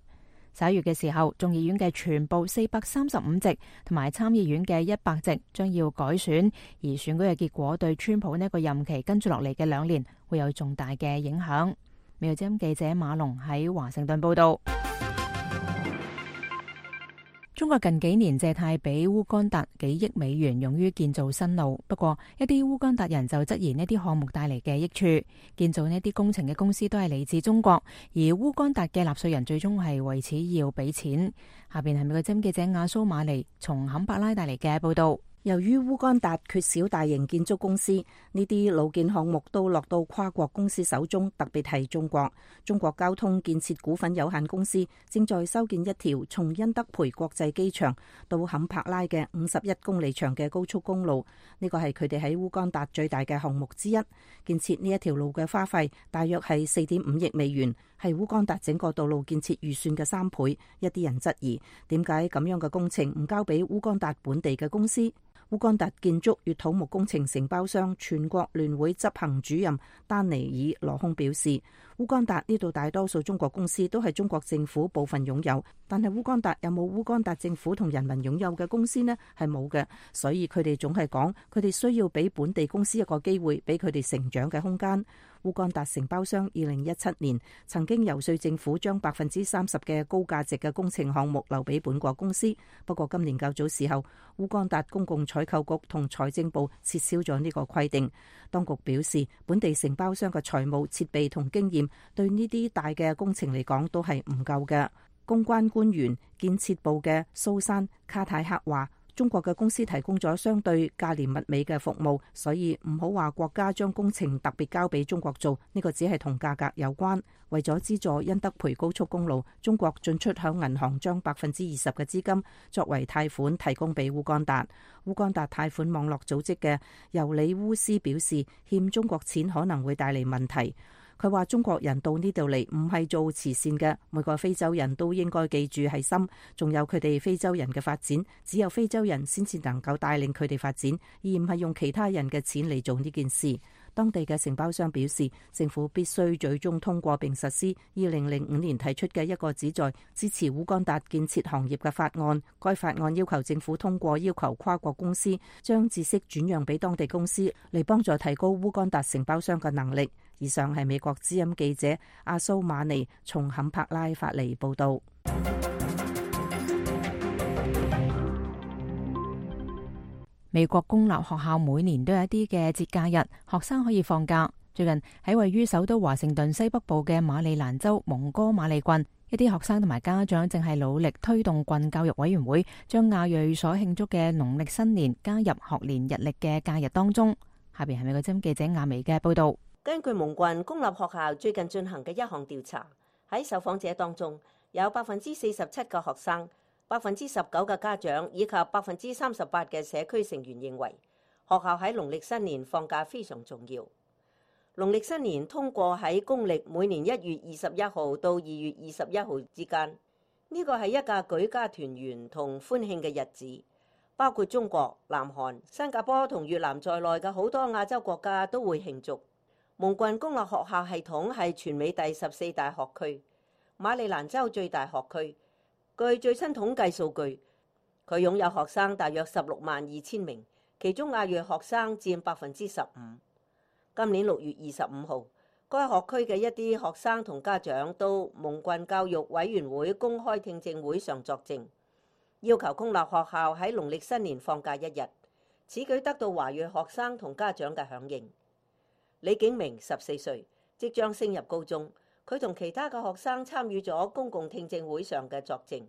[SPEAKER 2] 十一月嘅時候，眾議院嘅全部四百三十五席同埋參議院嘅一百席將要改選，而選舉嘅結果對川普呢個任期跟住落嚟嘅兩年會有重大嘅影響。美國之音記者馬龍喺華盛頓報道。中國近幾年借貸俾烏干達幾億美元用於建造新路，不過一啲烏干達人就質疑呢啲項目帶嚟嘅益處。建造呢啲工程嘅公司都係嚟自中國，而烏干達嘅納稅人最終係為此要俾錢。下邊係美國之音記者亞蘇馬尼從坎伯拉帶嚟嘅報道。
[SPEAKER 8] 由於烏干達缺少大型建築公司，呢啲老建項目都落到跨國公司手中，特別係中國。中國交通建設股份有限公司正在修建一條從因德培國際機場到坎帕拉嘅五十一公里長嘅高速公路，呢個係佢哋喺烏干達最大嘅項目之一。建設呢一條路嘅花費大約係四點五億美元，係烏干達整個道路建設預算嘅三倍。一啲人質疑點解咁樣嘅工程唔交俾烏干達本地嘅公司。烏干達建築與土木工程承包商全國聯會執行主任丹尼爾羅空表示，烏干達呢度大多數中國公司都係中國政府部分擁有，但係烏干達有冇烏干達政府同人民擁有嘅公司呢？係冇嘅，所以佢哋總係講佢哋需要俾本地公司一個機會，俾佢哋成長嘅空間。烏干達承包商二零一七年曾經遊說政府將百分之三十嘅高價值嘅工程項目留俾本國公司，不過今年較早時候，烏干達公共採購局同財政部撤銷咗呢個規定。當局表示，本地承包商嘅財務設備同經驗對呢啲大嘅工程嚟講都係唔夠嘅。公關官員建設部嘅蘇珊卡泰克話，中國嘅公司提供咗相對價廉物美嘅服務，所以唔好話國家將工程特別交俾中國做，呢個只係同價格有關。為咗資助因德培高速公路，中國進出向銀行將百分之二十嘅資金作為貸款提供俾烏干達。烏干達貸款網絡組織嘅尤里烏斯表示，欠中國錢可能會帶嚟問題。佢話中國人到呢度嚟唔係做慈善嘅，每個非洲人都應該記住係心，仲有佢哋非洲人嘅發展，只有非洲人先至能夠帶領佢哋發展，而唔係用其他人嘅錢嚟做呢件事。當地嘅承包商表示，政府必須最終通過並實施二零零五年提出嘅一個旨在支持烏干達建設行業嘅法案。該法案要求政府通過要求跨國公司將知識轉讓俾當地公司，嚟幫助提高烏干達承包商嘅能力。以上係美國之音記者阿蘇馬尼從坎帕拉發嚟報道。
[SPEAKER 2] 美國公立學校每年都有一啲嘅節假日，學生可以放假。最近喺位於首都華盛頓西北部嘅馬里蘭州蒙哥馬利郡，一啲學生同埋家長正係努力推動郡教育委員會將亞裔所慶祝嘅農曆新年加入學年日曆嘅假日當中。下邊係美國之音記者亞薇嘅報道。
[SPEAKER 10] 根據蒙郡公立學校最近進行嘅一項調查，喺受訪者當中有百分之四十七嘅學生、百分之十九嘅家長以及百分之三十八嘅社區成員認為學校喺農曆新年放假非常重要。農曆新年通過喺公曆每年一月二十一號到二月二十一號之間，呢個係一個舉家團圓同歡慶嘅日子。包括中國、南韓、新加坡同越南在內嘅好多亞洲國家都會慶祝。蒙郡公立學校系統係全美第十四大學區，馬里蘭州最大學區。據最新統計數據，佢擁有學生大約十六萬二千名，其中亞裔學生佔百分之十五。今年六月二十五號，該學區嘅一啲學生同家長到蒙郡教育委員會公開聽證會上作證，要求公立學校喺農曆新年放假一日。此舉得到華裔學生同家長嘅響應。李景明十四歲，即將升入高中。佢同其他嘅學生參與咗公共聽證會上嘅作證。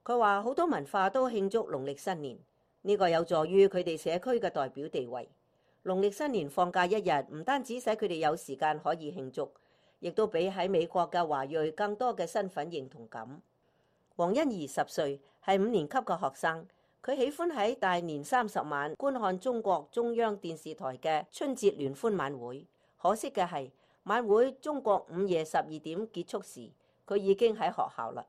[SPEAKER 10] 佢話好多文化都慶祝農曆新年，呢個有助於佢哋社區嘅代表地位。農曆新年放假一日，唔單止使佢哋有時間可以慶祝，亦都俾喺美國嘅華裔更多嘅身份認同感。黃欣怡十歲，係五年級嘅學生，佢喜歡喺大年三十晚觀看中國中央電視台嘅春節聯歡晚會。可惜嘅係，晚會中國午夜十二點結束時，佢已經喺學校啦。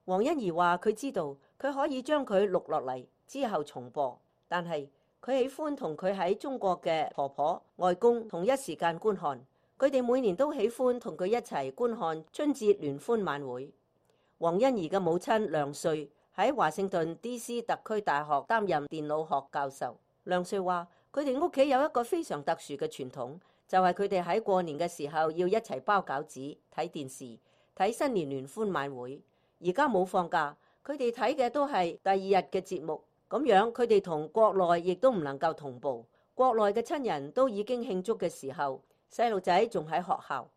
[SPEAKER 10] 黃欣怡話佢知道佢可以將佢錄落嚟之後重播，但係佢喜歡同佢喺中國嘅婆婆、外公同一時間觀看。佢哋每年都喜歡同佢一齊觀看春節聯歡晚會。黃欣怡嘅母親梁瑞喺華盛頓 D C 特區大學擔任電腦學教授。梁瑞話佢哋屋企有一個非常特殊嘅傳統，就係佢哋喺過年嘅時候要一齊包餃子、睇電視、睇新年聯歡晚會。而家冇放假，佢哋睇嘅都係第二日嘅節目，咁樣佢哋同國內亦都唔能夠同步。國內嘅親人都已經慶祝嘅時候，細路仔仲喺學校。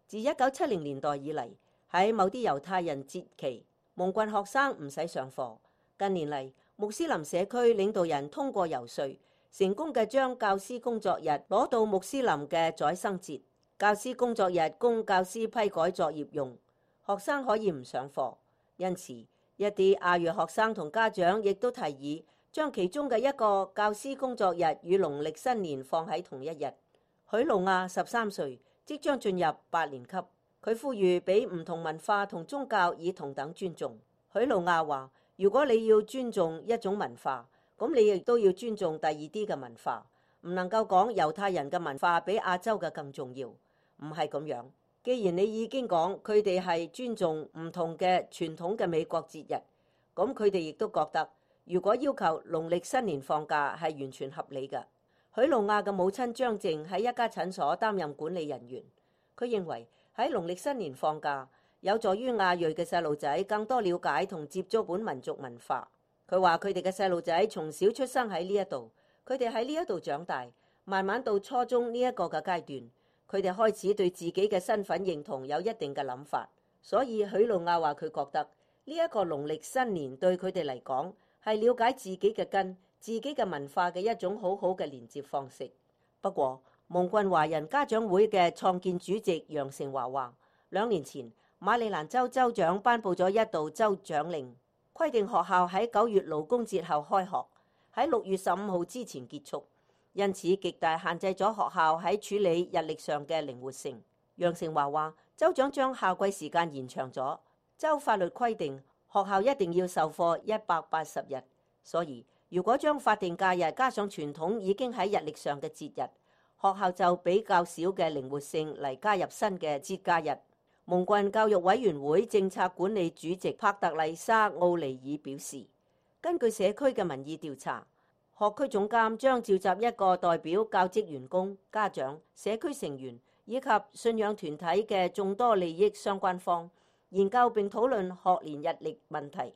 [SPEAKER 10] 自一九七零年代以嚟，喺某啲猶太人節期，蒙郡學生唔使上課。近年嚟，穆斯林社區領導人通過遊說，成功嘅將教師工作日攞到穆斯林嘅宰牲節。教師工作日供教師批改作業用，學生可以唔上課。因此，一啲亞裔學生同家長亦都提議將其中嘅一個教師工作日與農曆新年放喺同一日。許露亞十三歲，即將進入八年級。佢呼籲俾唔同文化同宗教以同等尊重。許露亞話：如果你要尊重一種文化，咁你亦都要尊重第二啲嘅文化，唔能夠講猶太人嘅文化比亞洲嘅更重要，唔係咁樣。既然你已經講佢哋係尊重唔同嘅傳統嘅美國節日，咁佢哋亦都覺得如果要求農曆新年放假係完全合理嘅。許露亞嘅母親張靜喺一家診所擔任管理人員，佢認為喺農曆新年放假有助於亞裔嘅細路仔更多了解同接觸本民族文化。佢話佢哋嘅細路仔從小出生喺呢一度，佢哋喺呢一度長大，慢慢到初中呢一個嘅階段，佢哋開始對自己嘅身份認同有一定嘅諗法。所以許露亞話佢覺得呢一個農曆新年對佢哋嚟講係了解自己嘅根、自己嘅文化嘅一種好好嘅連接方式。不過蒙郡華人家長會嘅創建主席楊成華話，兩年前馬里蘭州州長頒布咗一道州長令，規定學校喺九月勞工節後開學，喺六月十五號之前結束，因此極大限制咗學校喺處理日曆上嘅靈活性。楊成華話，州長將夏季時間延長咗，州法律規定學校一定要授課一百八十日，所以如果將法定假日加上傳統已經喺日曆上嘅節日，學校就比較少嘅靈活性嚟加入新嘅節假日。蒙郡教育委員會政策管理主席帕特麗莎奧尼爾表示，根據社區嘅民意調查，學區總監將召集一個代表教職員工、家長、社區成員以及信仰團體嘅眾多利益相關方，研究並討論學年日曆問題。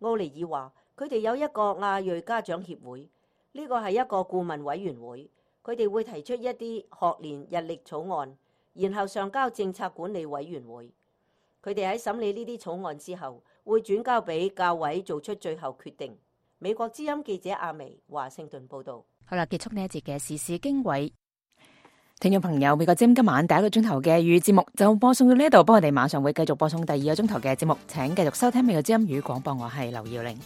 [SPEAKER 10] 奧尼爾話，佢哋有一個亞裔家長協會，呢個係一個顧問委員會，佢哋會提出一啲學年日曆草案，然後上交政策管理委員會。佢哋喺審理呢啲草案之後，會轉交俾教委做出最後決定。美國之音記者阿薇華盛頓報道。
[SPEAKER 2] 好啦，結束呢一節嘅時事經緯。聽眾朋友，美國之音今晚第一個鐘頭嘅粵語節目就播送到呢一度，不過我哋馬上會繼續播送第二個鐘頭嘅節目，請繼續收聽美國之音粵語廣播，我係劉耀玲。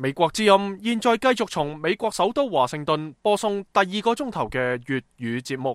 [SPEAKER 1] 美國之音現在繼續從美國首都華盛頓播送第二個鐘頭嘅粵語節目。